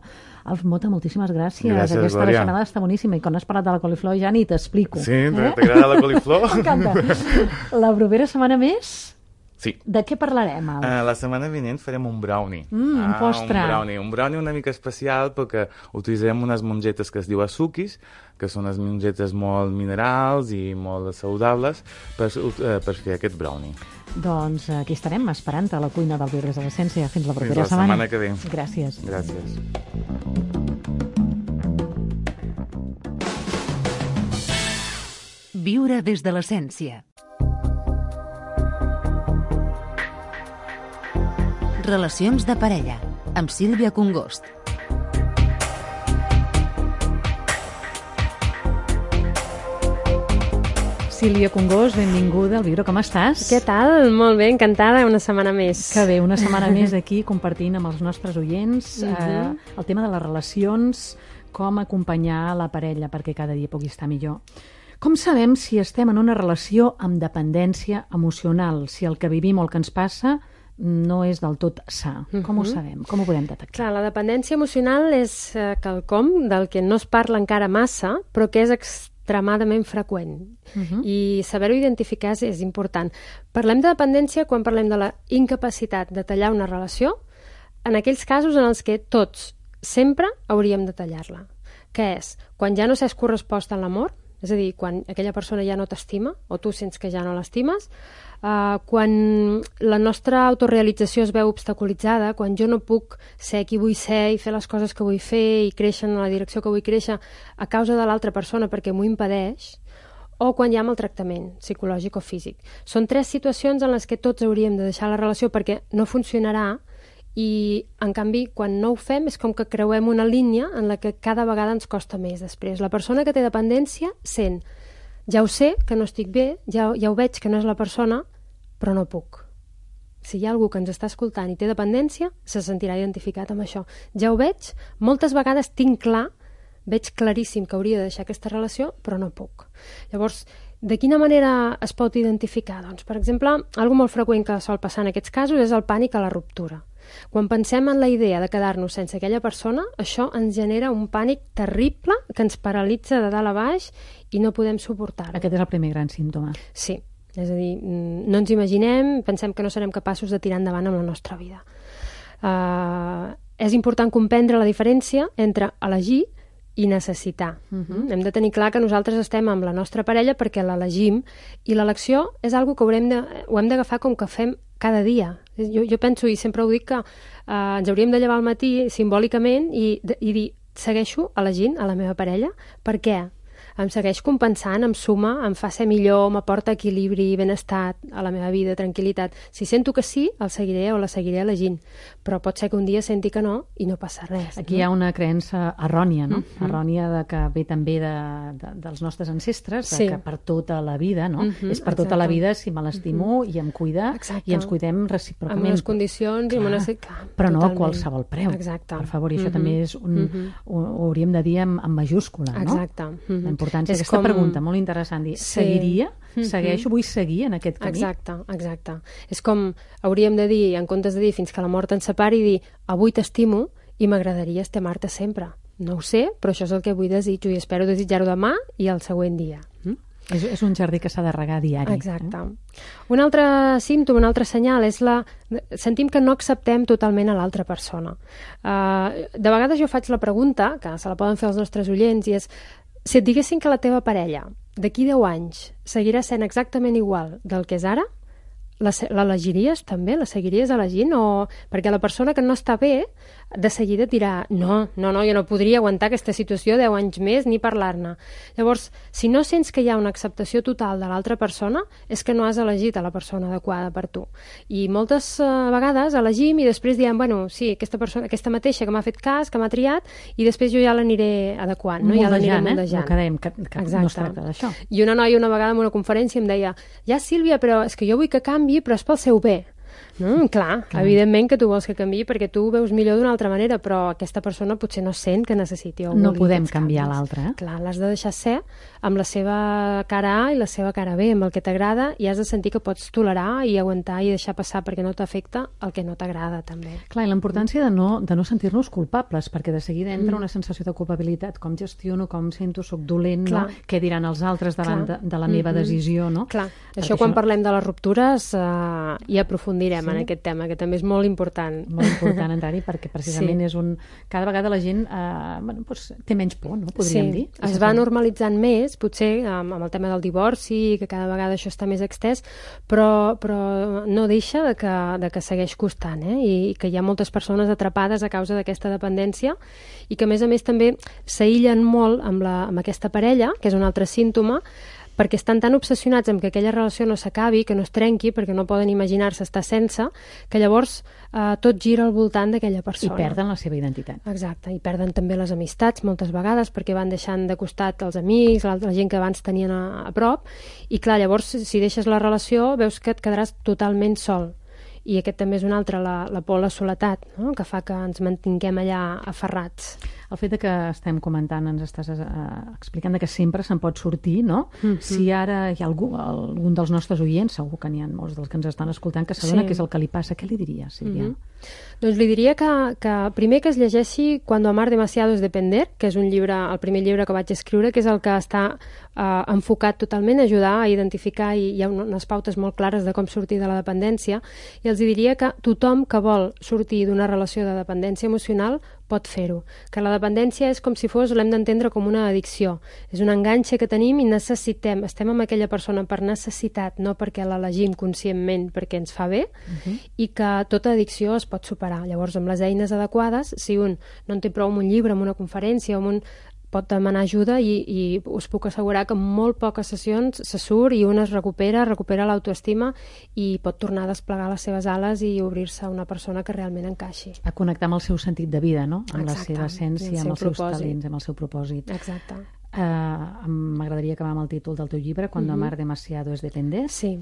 Alf Mota, moltíssimes gràcies. Gràcies, aquesta Glòria. Està boníssima i quan has parlat de la coliflor ja ni t'explico. Sí, t'agrada la coliflor? M'encanta. La propera setmana més? Sí. De què parlarem, Alf? La setmana vinent farem un brownie. Un postre. Un brownie una mica especial perquè utilitzarem unes mongetes que es diu azukis, que són unes mongetes molt minerals i molt saludables per fer aquest brownie. Doncs aquí estarem esperant a la cuina del Viure des de l'Essència. Fins la propera setmana. Fins la setmana que ve. Gràcies. Gràcies. Viure des de l'essència. Relacions de parella, amb Sílvia Congost. Sílvia Congost, benvinguda al Viure, com estàs? Què tal? Molt bé, encantada, una setmana més. Que bé, una setmana més aquí compartint amb els nostres oients el tema de les relacions, com acompanyar la parella perquè cada dia pugui estar millor. Com sabem si estem en una relació amb dependència emocional, si el que vivim o el que ens passa no és del tot sa? Com ho sabem? Com ho podem detectar? Clar, la dependència emocional és quelcom del que no es parla encara massa, però que és extremadament freqüent. I saber-ho identificar és important. Parlem de dependència quan parlem de la incapacitat de tallar una relació, en aquells casos en els que tots sempre hauríem de tallar-la. Què és? Quan ja no s'és correspost en l'amor, és a dir, quan aquella persona ja no t'estima o tu sents que ja no l'estimes, quan la nostra autorealització es veu obstaculitzada, quan jo no puc ser qui vull ser i fer les coses que vull fer i créixer en la direcció que vull créixer a causa de l'altra persona perquè m'ho impedeix, o quan hi ha maltractament psicològic o físic. Són 3 situacions en les que tots hauríem de deixar la relació perquè no funcionarà i, en canvi, quan no ho fem és com que creuem una línia en la que cada vegada ens costa més després. La persona que té dependència sent, ja ho sé, que no estic bé, ja ho veig que no és la persona, però no puc. Si hi ha algú que ens està escoltant i té dependència, se sentirà identificat amb això. Ja ho veig, moltes vegades tinc clar, veig claríssim que hauria de deixar aquesta relació, però no puc. Llavors, de quina manera es pot identificar? Doncs, per exemple, algo molt freqüent que sol passar en aquests casos és el pànic a la ruptura. Quan pensem en la idea de quedar-nos sense aquella persona, això ens genera un pànic terrible que ens paralitza de dalt a baix i no podem suportar-ho. Aquest és el primer gran símptoma. Sí, és a dir, no ens imaginem, pensem que no serem capaços de tirar endavant amb la nostra vida. És important comprendre la diferència entre elegir i necessitar. Hem de tenir clar que nosaltres estem amb la nostra parella perquè l'elegim i l'elecció és algo que ho hem d'agafar com que fem cada dia. Jo penso, i sempre ho dic, que ens hauríem de llevar al matí simbòlicament i dir, segueixo elegint a la meva parella. Per què? Em segueix compensant, em suma, em fa ser millor, m'aporta equilibri, benestar a la meva vida, tranquil·litat. Si sento que sí, el seguiré o la seguiré elegint. Però pot ser que un dia senti que no i no passa res. Aquí hi ha una creença errònia, no? Errònia de que ve també dels nostres ancestres, que per tota la vida, no? És per tota la vida si me l'estimo i em cuida i ens cuidem recíprocament. Amb unes condicions i amb unes... Però no a qualsevol preu. Exacte. Per favor, i això també és ho hauríem de dir amb majúscula, no? Exacte. La importància d'aquesta pregunta, molt interessant, dir, seguiria? Segueixo? Vull seguir en aquest camí? Exacte. És com hauríem de dir, en comptes de dir fins que la mort ens separi, dir, avui t'estimo i m'agradaria estimar-te sempre. No ho sé, però això és el que avui desitjo i espero desitjar-ho demà i el següent dia. És un jardí que s'ha de regar diari. Exacte. Un altre símptoma, un altre senyal és sentim que no acceptem totalment a l'altra persona. De vegades jo faig la pregunta, que se la poden fer els nostres oients, i és: si et diguessin que la teva parella d'aquí 10 anys seguirà sent exactament igual del que és ara, l'elegiries també? La seguiries elegint? O perquè la persona que no està bé de seguida dirà no, jo no podria aguantar aquesta situació 10 anys més ni parlar-ne. Llavors, si no sents que hi ha una acceptació total de l'altra persona, és que no has elegit a la persona adequada per tu. I moltes vegades elegim i després diem, bueno, sí, aquesta mateixa que m'ha fet cas, que m'ha triat, i després jo ja l'aniré adequant, no? Ja l'aniré moldejant. El que dèiem, que no es tracta d'això. I una noia una vegada en una conferència em deia: ja, Sílvia, però és que jo vull que canvi, però és pel seu bé. No, clar, evidentment que tu vols que canviï perquè tu ho veus millor d'una altra manera, però aquesta persona potser no sent que necessiti o vulgui. No podem canviar l'altra. Clar, l'has de deixar ser amb la seva cara A i la seva cara B, amb el que t'agrada, i has de sentir que pots tolerar i aguantar i deixar passar perquè no t'afecta el que no t'agrada, també. Clar, i la importància de no sentir-nos culpables, perquè de seguida entra una sensació de culpabilitat. Com gestiono, com sento, soc dolent, no? Què diran els altres davant de la meva decisió, no? Clar, això quan parlem de les ruptures hi aprofundirem en aquest tema, que també és molt important. Molt important entrar-hi, perquè precisament és cada vegada la gent té menys por, no? Podríem dir. Es va normalitzant més, potser amb el tema del divorci, que cada vegada això està més extès, però no deixa de que segueix costant, i que hi ha moltes persones atrapades a causa d'aquesta dependència i que a més també s'aïllen molt amb aquesta parella, que és un altre símptoma, perquè estan tan obsessionats amb que aquella relació no s'acabi, que no es trenqui, perquè no poden imaginar-se estar sense, que llavors tot gira al voltant d'aquella persona. I perden la seva identitat. Exacte, i perden també les amistats moltes vegades, perquè van deixant de costat els amics, la gent que abans tenien a prop, i clar, llavors si deixes la relació veus que et quedaràs totalment sol. I aquest també és un altre, la por a la soledat, no? Que fa que ens mantinguem allà aferrats. El fet que estem comentant, ens estàs explicant que sempre se'n pot sortir, no? Si ara hi ha algun dels nostres oients, segur que n'hi ha molts dels que ens estan escoltant, que s'adona què és el que li passa, què li diries, Sílvia? Doncs li diria que primer que es llegeixi Cuando amar demasiado es depender, que és el primer llibre que vaig escriure, que és el que està enfocat totalment a ajudar a identificar, i hi ha unes pautes molt clares de com sortir de la dependència, i els diria que tothom que vol sortir d'una relació de dependència emocional pot fer-ho. Que la dependència és com si l'hem d'entendre com una addicció. És un enganxe que tenim i necessitem. Estem amb aquella persona per necessitat, no perquè l'elegim conscientment perquè ens fa bé, i que tota addicció es pot superar. Llavors, amb les eines adequades, si un no en té prou amb un llibre, amb una conferència, pot demanar ajuda, i us puc assegurar que en molt poques sessions se surt i un es recupera l'autoestima i pot tornar a desplegar les seves ales i obrir-se a una persona que realment encaixi. A connectar amb el seu sentit de vida, no? Amb la seva essència, amb els seus talents, amb el seu propòsit. Exacte. M'agradaria acabar amb el títol del teu llibre, Cuando amar demasiado es depender. Sí.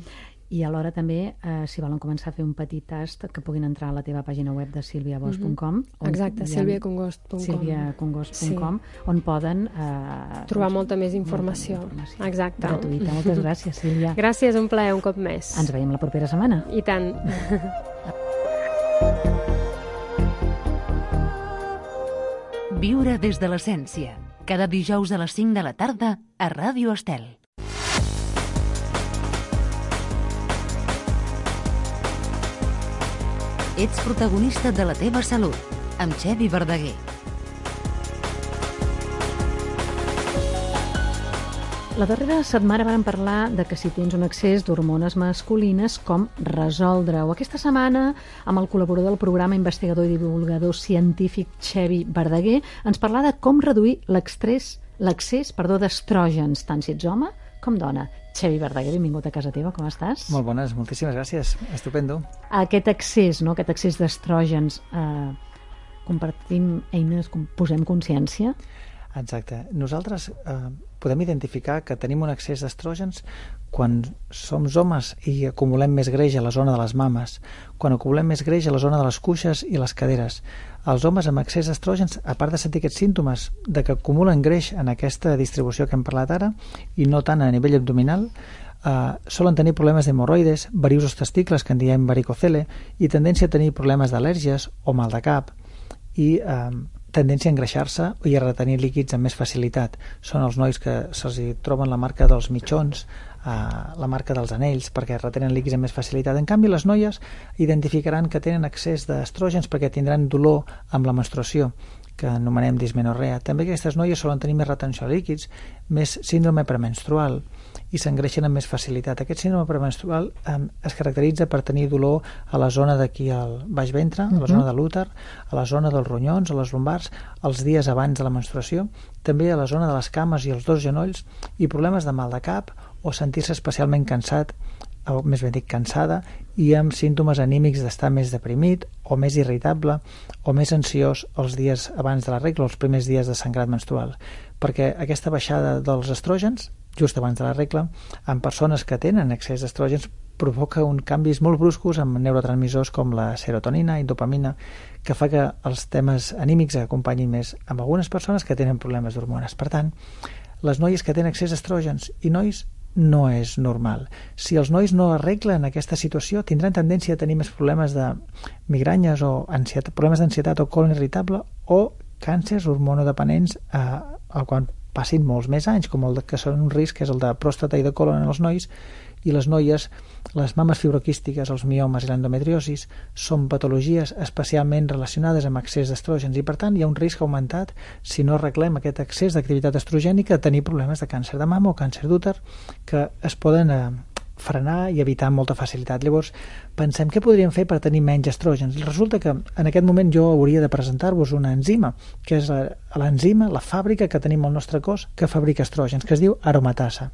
I alhora també, si volen començar a fer un petit tast, que puguin entrar a la teva pàgina web de silviabosch.com. Exacte, silviacongost.com. silviacongost.com, on poden trobar molta més informació. Exacte. Gratuïta. Moltes gràcies, Sílvia. Gràcies, un plaer un cop més. Ens veiem la propera setmana. I tant. Viure des de l'essència. Cada dijous a les 5 de la tarda a Ràdio Estel. Ets protagonista de la teva salut, amb Xevi Verdaguer. La darrera setmana vam parlar de que si tens un excés d'hormones masculines, com resoldre-ho. Aquesta setmana, amb el col·laborador del programa, investigador i divulgador científic Xevi Verdaguer, ens parla de com reduir l'excés d'estrògens, tant si ets home com dona. Xevi Verdaguer, benvingut a casa teva, com estàs? Molt bones, moltíssimes gràcies, estupendo. Aquest excés d'estrògens, compartim eines, posem consciència? Exacte. Nosaltres podem identificar que tenim un excés d'estrògens quan som homes i acumulem més greix a la zona de les mames, quan acumulem més greix a la zona de les cuixes i les caderes. Els homes amb excés d'estrògens, a part de sentir aquests símptomes de que acumulen greix en aquesta distribució que hem parlat ara, i no tant a nivell abdominal, solen tenir problemes d'hemorroides, varius als testicles, que en diem varicocele, i tendència a tenir problemes d'al·lèrgies o mal de cap. I tendència a engreixar-se i a retenir líquids amb més facilitat. Són els nois que se'ls troben la marca dels mitjons, la marca dels anells, perquè retenen líquids amb més facilitat. En canvi, les noies identificaran que tenen excés d'estrògens perquè tindran dolor amb la menstruació, que anomenem dismenorrea. També aquestes noies solen tenir més retenció de líquids, més síndrome premenstrual i s'engreixen amb més facilitat. Aquest síndrome premenstrual es caracteritza per tenir dolor a la zona d'aquí al baix ventre, a la zona de l'úter, a la zona dels ronyons, a les lumbars, els dies abans de la menstruació, també a la zona de les cames i els dos genolls, i problemes de mal de cap o sentir-se especialment cansat, o més ben dit cansada, i amb símptomes anímics d'estar més deprimit o més irritable o més ansiós els dies abans de la regla, els primers dies de sangrat menstrual, perquè aquesta baixada dels estrògens just abans de la regla, en persones que tenen excés d'estrògens, provoca uns canvis molt bruscos amb neurotransmissors com la serotonina i dopamina, que fa que els temes anímics acompanyin més amb algunes persones que tenen problemes d'hormones. Per tant, les noies que tenen excés d'estrògens i nois no és normal. Si els nois no arreglen aquesta situació, tindran tendència a tenir més problemes de migranyes o problemes d'ansietat o colon irritable o càncers hormonodependents quan passin molts més anys, com el que són un risc, que és el de pròstata i de colon en els nois, i les noies, les mames fibroquístiques, els miomes i l'endometriosis són patologies especialment relacionades amb excés d'estrògens i per tant hi ha un risc augmentat si no arreglem aquest excés d'activitat estrogènica a tenir problemes de càncer de mama o càncer d'úter que es poden frenar i evitar amb molta facilitat. Llavors pensem què podríem fer per tenir menys estrògens. Resulta que en aquest moment jo hauria de presentar-vos una enzima, que és l'enzima, la fàbrica que tenim al nostre cos que fabrica estrògens, que es diu aromatasa.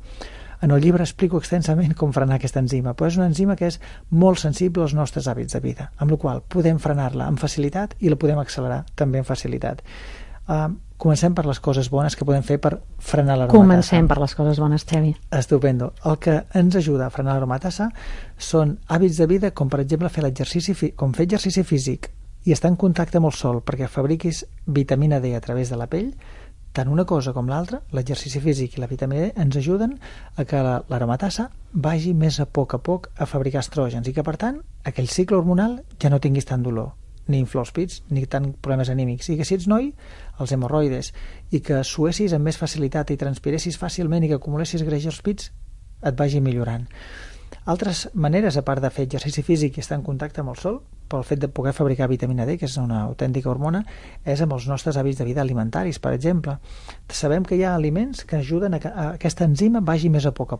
En el llibre explico extensament com frenar aquesta enzima, però és una enzima que és molt sensible als nostres hàbits de vida, amb la qual podem frenar-la amb facilitat i la podem accelerar també amb facilitat. Comencem per les coses bones que podem fer per frenar l'aromatasa. Comencem per les coses bones, Xavi. Estupendo. El que ens ajuda a frenar l'aromatasa són hàbits de vida com, per exemple, fer exercici físic i estar en contacte amb el sol perquè fabriquis vitamina D a través de la pell. Tant una cosa com l'altra, l'exercici físic i la vitamina D, ens ajuden a que l'aromatasa vagi més a poc a fabricar estrògens i que, per tant, aquell cicle hormonal ja no tinguis tant dolor, ni inflors pits, ni tant problemes anímics. I que si ets noi, els hemorroides, i que suessis amb més facilitat i transpiressis fàcilment i que acumulessis greix als pits, et vagi millorant. Altres maneres, a part de fer exercici físic i estar en contacte amb el sol, pel fet de poder fabricar vitamina D, que és una autèntica hormona, és amb els nostres hàbits de vida alimentaris, per exemple. Sabem que hi ha aliments que ajuden a que aquesta enzima vagi més a poc,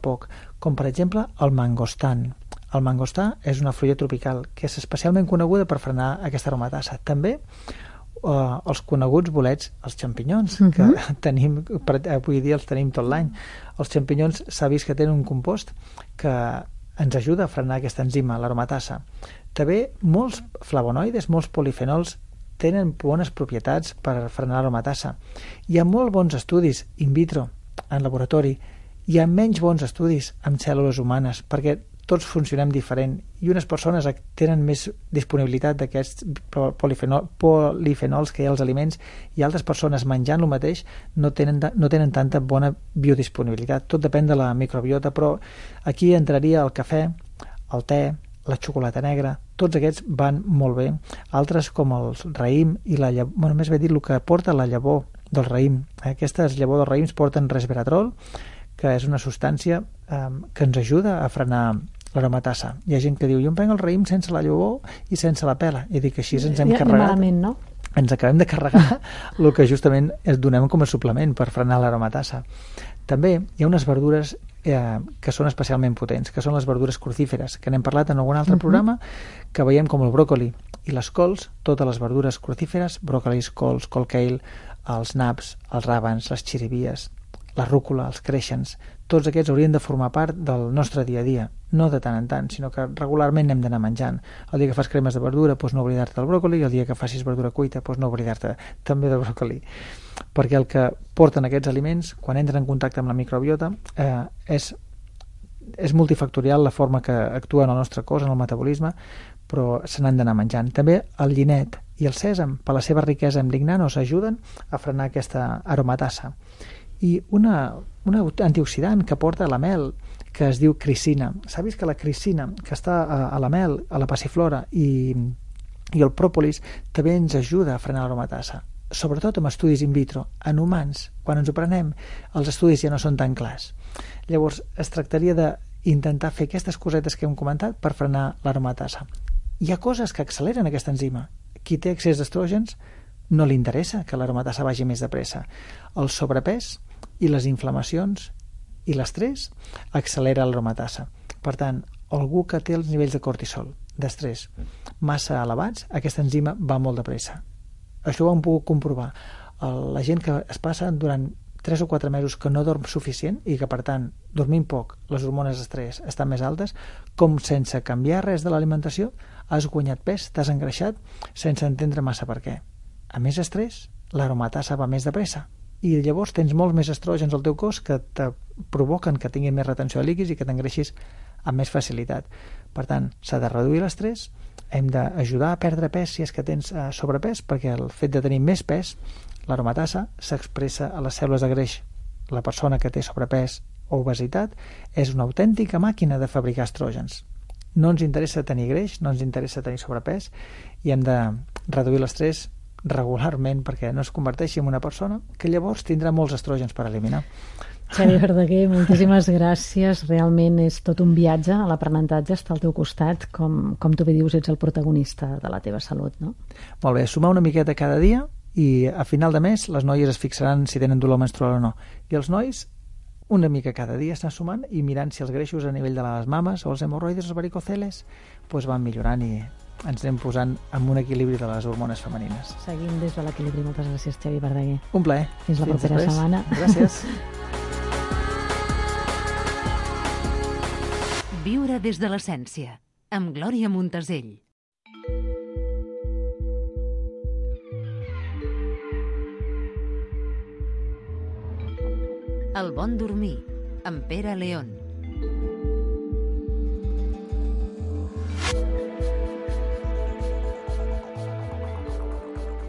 com per exemple el mangostan. El mangostà és una fruita tropical que és especialment coneguda per frenar aquesta aromatasa. També els coneguts bolets, els xampinyons, que tenim, avui dia els tenim tot l'any. Els xampinyons s'ha vist que tenen un compost que ens ajuda a frenar aquesta enzima, l'aromatasa. També molts flavonoides, molts polifenols tenen bones propietats per frenar l'aromatasa. Hi ha molt bons estudis in vitro, en laboratori. Hi ha menys bons estudis amb cèl·lules humanes, perquè tots funcionem diferent i unes persones tenen més disponibilitat d'aquests polifenols que hi ha als aliments i altres persones menjant el mateix no tenen tanta bona biodisponibilitat. Tot depèn de la microbiota, però aquí entraria el cafè, el te, la xocolata negra, tots aquests van molt bé. Altres com el raïm i la llavor, més bé dit el que porta la llavor del raïm. Aquestes llavors dels raïms porten resveratrol, que és una substància que ens ajuda a frenar l'aromatasa. Hi ha gent que diu, jo em prenc el raïm sense la llavor i sense la pela. I dic, així ens hem carregat. Malament, no? Ens acabem de carregar el que justament es donem com a suplement per frenar l'aromatasa. També hi ha unes verdures que són especialment potents, que són les verdures crucíferes, que n'hem parlat en algun altre programa, que veiem com el bròcoli i les cols, totes les verdures crucíferes, bròcolis, cols, col kale, els naps, els ràbans, les xirivies, la rúcula, els creixens, tots aquests haurien de formar part del nostre dia a dia, no de tant en tant, sinó que regularment hem d'anar menjant. El dia que fas cremes de verdura, doncs no oblidar-te del bròcoli, i el dia que facis verdura cuita, doncs no oblidar-te també del bròcoli. Perquè el que porten aquests aliments, quan entren en contacte amb la microbiota, és multifactorial la forma que actua en el nostre cos, en el metabolisme, però se n'han d'anar menjant. També el llinet i el sèsam, per la seva riquesa en lignanos, ajuden a frenar aquesta aromatasa. I una antioxidant que porta la mel, que es diu cricina. S'ha vist que la cricina, que està a la mel, a la passiflora i el pròpolis, també ens ajuda a frenar l'aromatasa. sobretot amb estudis in vitro. En humans, quan ens ho prenem, els estudis ja no són tan clars. Llavors, es tractaria d'intentar fer aquestes cosetes que hem comentat per frenar l'aromatasa. Hi ha coses que acceleren aquesta enzima. Qui té excés d'estrògens no li interessa que l'aromatasa vagi més de pressa. El sobrepès i les inflamacions i l'estrès accelera l'aromatasa. Per tant, algú que té els nivells de cortisol, d'estrès, massa elevats, aquesta enzima va molt de pressa. Això ho hem pogut comprovar. La gent que es passa durant 3 o 4 mesos que no dorm suficient i que, per tant, dormint poc, les hormones d'estrès estan més altes, com sense canviar res de l'alimentació, has guanyat pes, t'has engreixat, sense entendre massa per què. A més estrès, l'aromatasa va més de pressa i llavors tens molts més estrògens al teu cos que te provoquen que tinguin més retenció de líquids i que t'engreixis amb més facilitat. Per tant, s'ha de reduir l'estrès, hem d'ajudar a perdre pes si és que tens sobrepès, perquè el fet de tenir més pes, l'aromatasa s'expressa a les cèl·lules de greix. La persona que té sobrepès o obesitat és una autèntica màquina de fabricar estrògens. No ens interessa tenir greix, no ens interessa tenir sobrepès i hem de reduir l'estrès regularment perquè no es converteixi en una persona que llavors tindrà molts estrògens per eliminar. Xavi Verdaguer, moltíssimes gràcies. Realment és tot un viatge a l'aprenentatge, estar al teu costat, com tu bé dius, ets el protagonista de la teva salut, no? Molt bé, sumar una miqueta cada dia i a final de mes les noies es fixaran si tenen dolor menstrual o no. I els nois, una mica cada dia estan sumant i mirant si els greixos a nivell de les mames o els hemorroides, els varicoceles, van millorant i ens anem posant en un equilibri de les hormones femenines. Seguim des de l'equilibri. Moltes gràcies, Xavi Verdaguer. Un plaer. Fins la propera setmana. Gràcies. Viure des de l'essència, amb Glòria Montasell. El bon dormir, amb Pere León.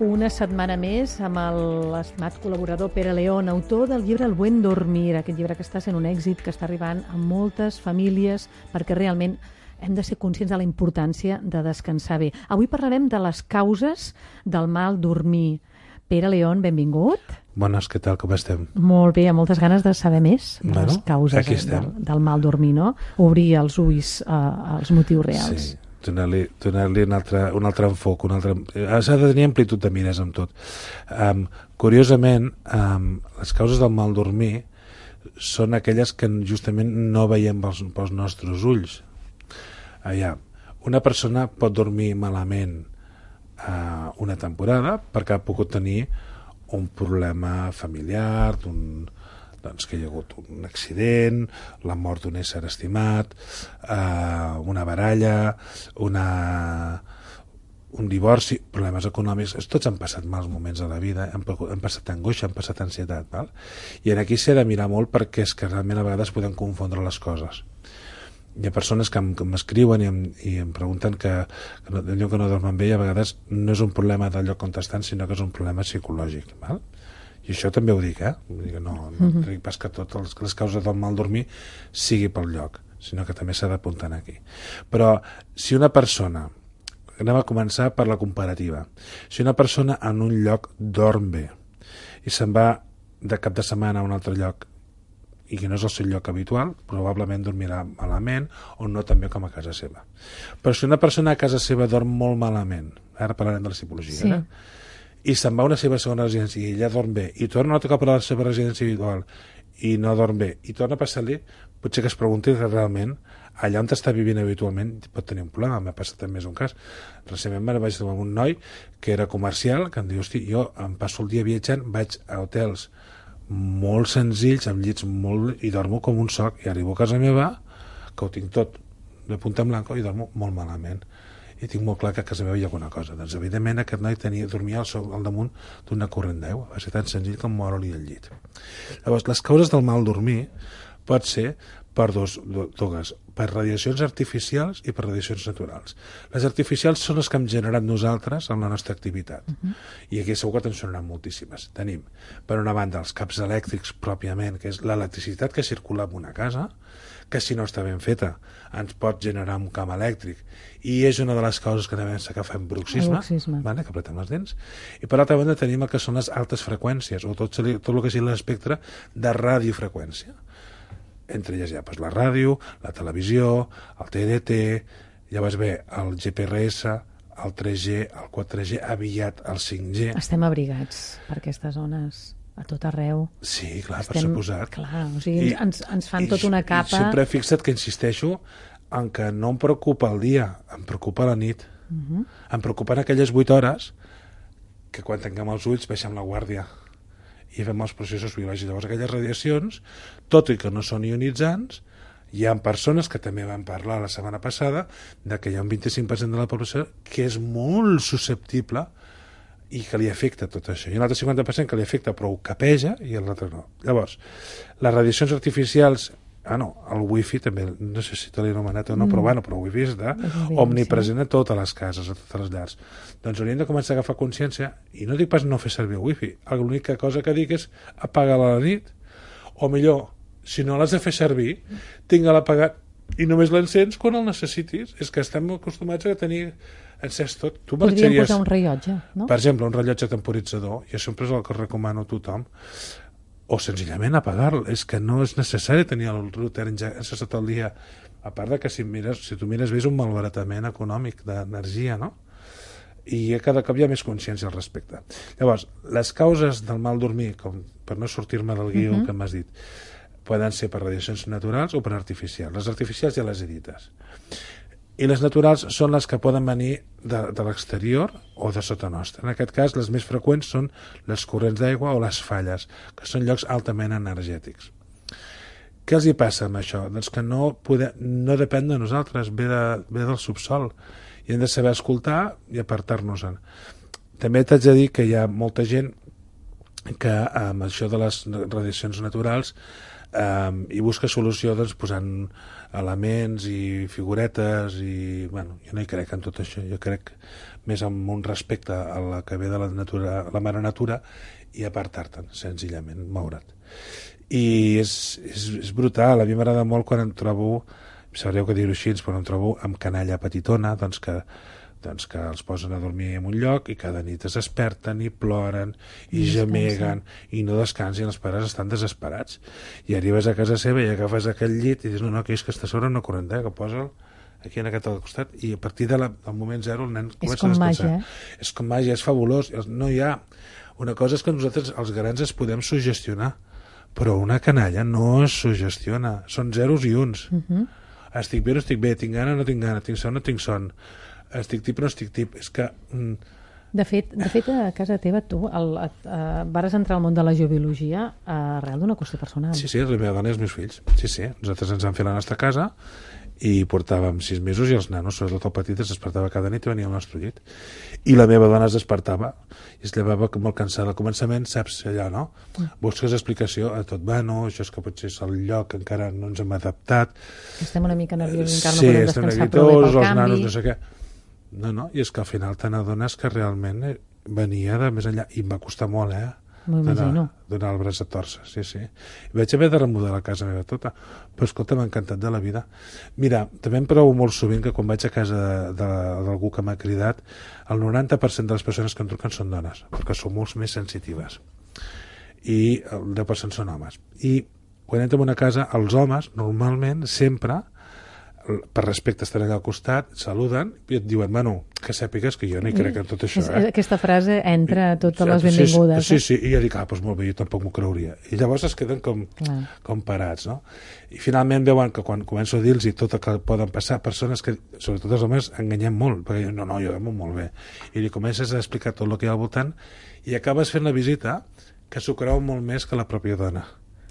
Una setmana més amb l'estimat col·laborador Pere León, autor del llibre El buen dormir, aquest llibre que està sent un èxit, que està arribant a moltes famílies, perquè realment hem de ser conscients de la importància de descansar bé. Avui parlarem de les causes del mal dormir. Pere León, benvingut. Bones, què tal, com estem? Molt bé, amb moltes ganes de saber més de les causes del mal dormir, no? Obrir els ulls als motius reals. Sí. Donar-li un altre enfoc, s'ha de tenir amplitud de mires amb tot. Curiosament, les causes del mal dormir són aquelles que justament no veiem pels nostres ulls. Una persona pot dormir malament una temporada perquè ha pogut tenir un problema familiar, que hi ha hagut un accident, la mort d'un ésser estimat, una baralla, un divorci, problemes econòmics. Tots han passat mals moments a la vida, han passat angoixa, han passat ansietat, val? I aquí s'ha de mirar molt perquè és que realment a vegades podem confondre les coses. Hi ha persones que m'escriuen i em pregunten que allò que no dormen bé, i a vegades no és un problema del lloc on estan, sinó que és un problema psicològic, val? I això també ho dic, Vull dir que no dic pas que totes les causes del mal dormir sigui pel lloc, sinó que també s'ha d'apuntar aquí. Però si una persona, anem a començar per la comparativa, si una persona en un lloc dorm bé i se'n va de cap de setmana a un altre lloc i que no és el seu lloc habitual, probablement dormirà malament o no tan bé com a casa seva. Però si una persona a casa seva dorm molt malament, ara parlarem de la psicologia, i se'n va a una seva segona residència i ella dorm bé, i torna un altre cop a la seva residència habitual i no dorm bé, i torna a passar-li, potser que es pregunti realment allà on està vivint habitualment pot tenir un problema. M'ha passat també un cas. Recentment me vaig trobar un noi que era comercial, que em diu, hosti, jo em passo el dia viatjant, vaig a hotels molt senzills, amb llits molt... i dormo com un soc, i arribo a casa meva, que ho tinc tot de punta en blanco, i dormo molt malament. I tinc molt clar que a casa meva hi ha alguna cosa. Doncs, evidentment, aquest noi dormia al damunt d'una corrent d'aigua. Va ser tan senzill com moure-li el llit. Llavors, les causes del mal dormir pot ser per dues, per radiacions artificials i per radiacions naturals. Les artificials són les que hem generat nosaltres en la nostra activitat, i aquí segur que te'n sonaran moltíssimes. Tenim, per una banda, els caps elèctrics pròpiament, que és l'electricitat que circula en una casa, que si no està ben feta ens pot generar un camp elèctric, i és una de les causes que també que fem bruxisme, vale? Que apretem les dents. I per l'altra banda tenim el que són les altes freqüències, o tot el que sigui l'espectre de radiofreqüència. Entre elles hi ha la ràdio, la televisió, el TDT, llavors ve el GPRS, el 3G, el 4G, aviat el 5G. Estem abrigats per aquestes zones a tot arreu. Sí, clar, per suposat. Clar, o sigui, ens fan tota una capa... I sempre he fixat que insisteixo en que no em preocupa el dia, em preocupa la nit. Em preocupen aquelles 8 hores que quan tanquem els ulls baixem la guàrdia i fem els processos biològics. Llavors aquelles radiacions, tot i que no són ionitzants, hi ha persones que també van parlar la setmana passada de que hi ha un 25% de la població que és molt susceptible i que li afecta tot això. I un altre 50% que li afecta però ho capeja i l'altre no. Llavors, les radiacions artificials... el wifi també, no sé si te l'he anomenat o no, però el wifi està omnipresent a totes les cases, a totes les llars. Doncs hauríem de començar a agafar consciència, i no dic pas no fer servir el wifi, l'única cosa que dic és apagar-la a la nit, o millor, si no l'has de fer servir, tinga-la apagat i només l'encens quan el necessitis. És que estem acostumats a tenir encès tot. Podríem posar un rellotge, no? Per exemple, un rellotge temporitzador, jo sempre és el que recomano a tothom, o senzillament apagar-lo. És que no és necessari tenir el router encès tot el dia, a part de que si tu mires bé és un malbaratament econòmic d'energia, no? I cada cop hi ha més consciència al respecte. Llavors, les causes del mal dormir, com per no sortir-me del guió que m'has dit, poden ser per radiacions naturals o per artificials. Les artificials ja les he dites. I les naturals són les que poden venir de l'exterior o de sota nostra. En aquest cas, les més freqüents són les corrents d'aigua o les falles, que són llocs altament energètics. Què els hi passa amb això? Doncs que no depèn de nosaltres, ve del subsol, i hem de saber escoltar i apartar-nos-en. També t'haig de dir que hi ha molta gent que amb això de les radiacions naturals i busca solució doncs, posant elements i figuretes i, bueno, jo no hi crec en tot això, jo crec més amb un respecte a la que ve de la natura, la mare natura, i apartar-te'n, senzillament, moure't. I és brutal, a mi m'agrada molt quan em trobo, sabreu que dir-ho així, però em trobo amb canalla petitona, doncs que els posen a dormir en un lloc i cada nit es desperten i ploren i gemeguen i no descansen, els pares estan desesperats, i arribes a casa seva i agafes aquell llit i dius, no, que és que està sobre una corrent d'aigua, posa'l aquí en aquest al costat, i a partir del moment zero el nen comença a descansar. És com màgia, és fabulós. No hi ha... Una cosa és que nosaltres, els grans, es podem suggestionar, però una canalla no es suggestiona, són zeros i uns. Estic bé o no estic bé, tinc gana o no tinc gana, tinc son o no tinc son, estic tip o no estic tip. És que... De fet, a casa teva tu vares entrar al món de la geobiologia arrel d'una qüestió personal. Sí, la meva dona i els meus fills. Sí, nosaltres ens vam fer la nostra casa i portàvem 6 mesos i els nanos, sobretot el petit, es despertava cada nit i venia al nostre llit. I la meva dona es despertava i es llevava molt cansada. Al començament, saps allò, no? Busques explicació a tot, bueno, això és que potser és el lloc, encara no ens hem adaptat. Estem una mica nerviosos, encara no podem descansar prou bé pel canvi. Els nanos, no sé què. No, i és que al final te n'adones que realment venia de més enllà, i em va costar molt, donar el braç a torça, sí. Vaig haver de remodelar la casa meva tota, però escolta, m'ha encantat de la vida. Mira, també em provo molt sovint que quan vaig a casa d'algú que m'ha cridat, el 90% de les persones que em truquen són dones, perquè són molt més sensitives, i el 10% són homes. I quan entro en una casa, els homes, normalment, sempre, per respecte, estan allà al costat, saluden i et diuen, bueno, que sàpigues que jo no hi crec en tot això. Aquesta frase entra a totes les benvingudes. Sí, i jo dic, doncs molt bé, jo tampoc m'ho creuria. I llavors es queden com parats, no? I finalment veuen que quan començo a dir-los tot el que poden passar, persones que, sobretot els homes, enganyem molt, perquè jo, no, jo dormo molt bé. I li comences a explicar tot el que hi ha al voltant i acabes fent la visita que s'ho creu molt més que la pròpia dona.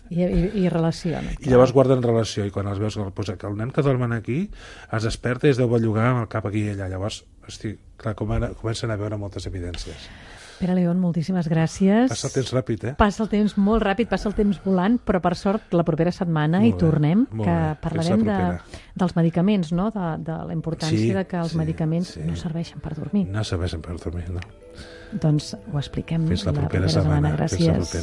I relaciona. I llavors guarden relació, i quan els veus que el nen que dormen aquí es desperta i es deu bellugar amb el cap aquí i allà. Llavors, hosti, clar, comencen a veure moltes evidències. Pere León, moltíssimes gràcies. Passa el temps ràpid, Passa el temps molt ràpid, passa el temps volant, però per sort la propera setmana hi tornem, que parlarem dels medicaments, no? De la importància de que els medicaments no serveixen per dormir. No serveixen per dormir, no. Doncs ho expliquem la propera setmana. Gràcies.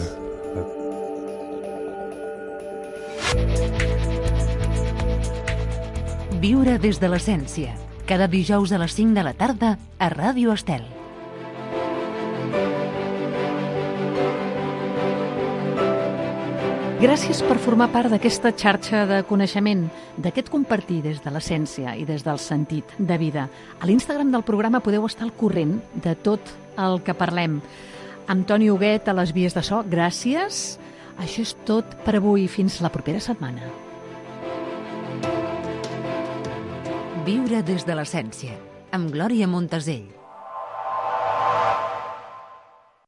Viure des de l'essència. Cada dijous a les 5 de la tarda a Ràdio Estel. Gràcies per formar part d'aquesta xarxa de coneixement, d'aquest compartir des de l'essència i des del sentit de vida. A l'Instagram del programa podeu estar al corrent de tot el que parlem. Amb Toni Huguet a les vies de so, gràcies. Això és tot per avui. Fins la propera setmana. Viure des de l'essència, amb Glòria Montesell.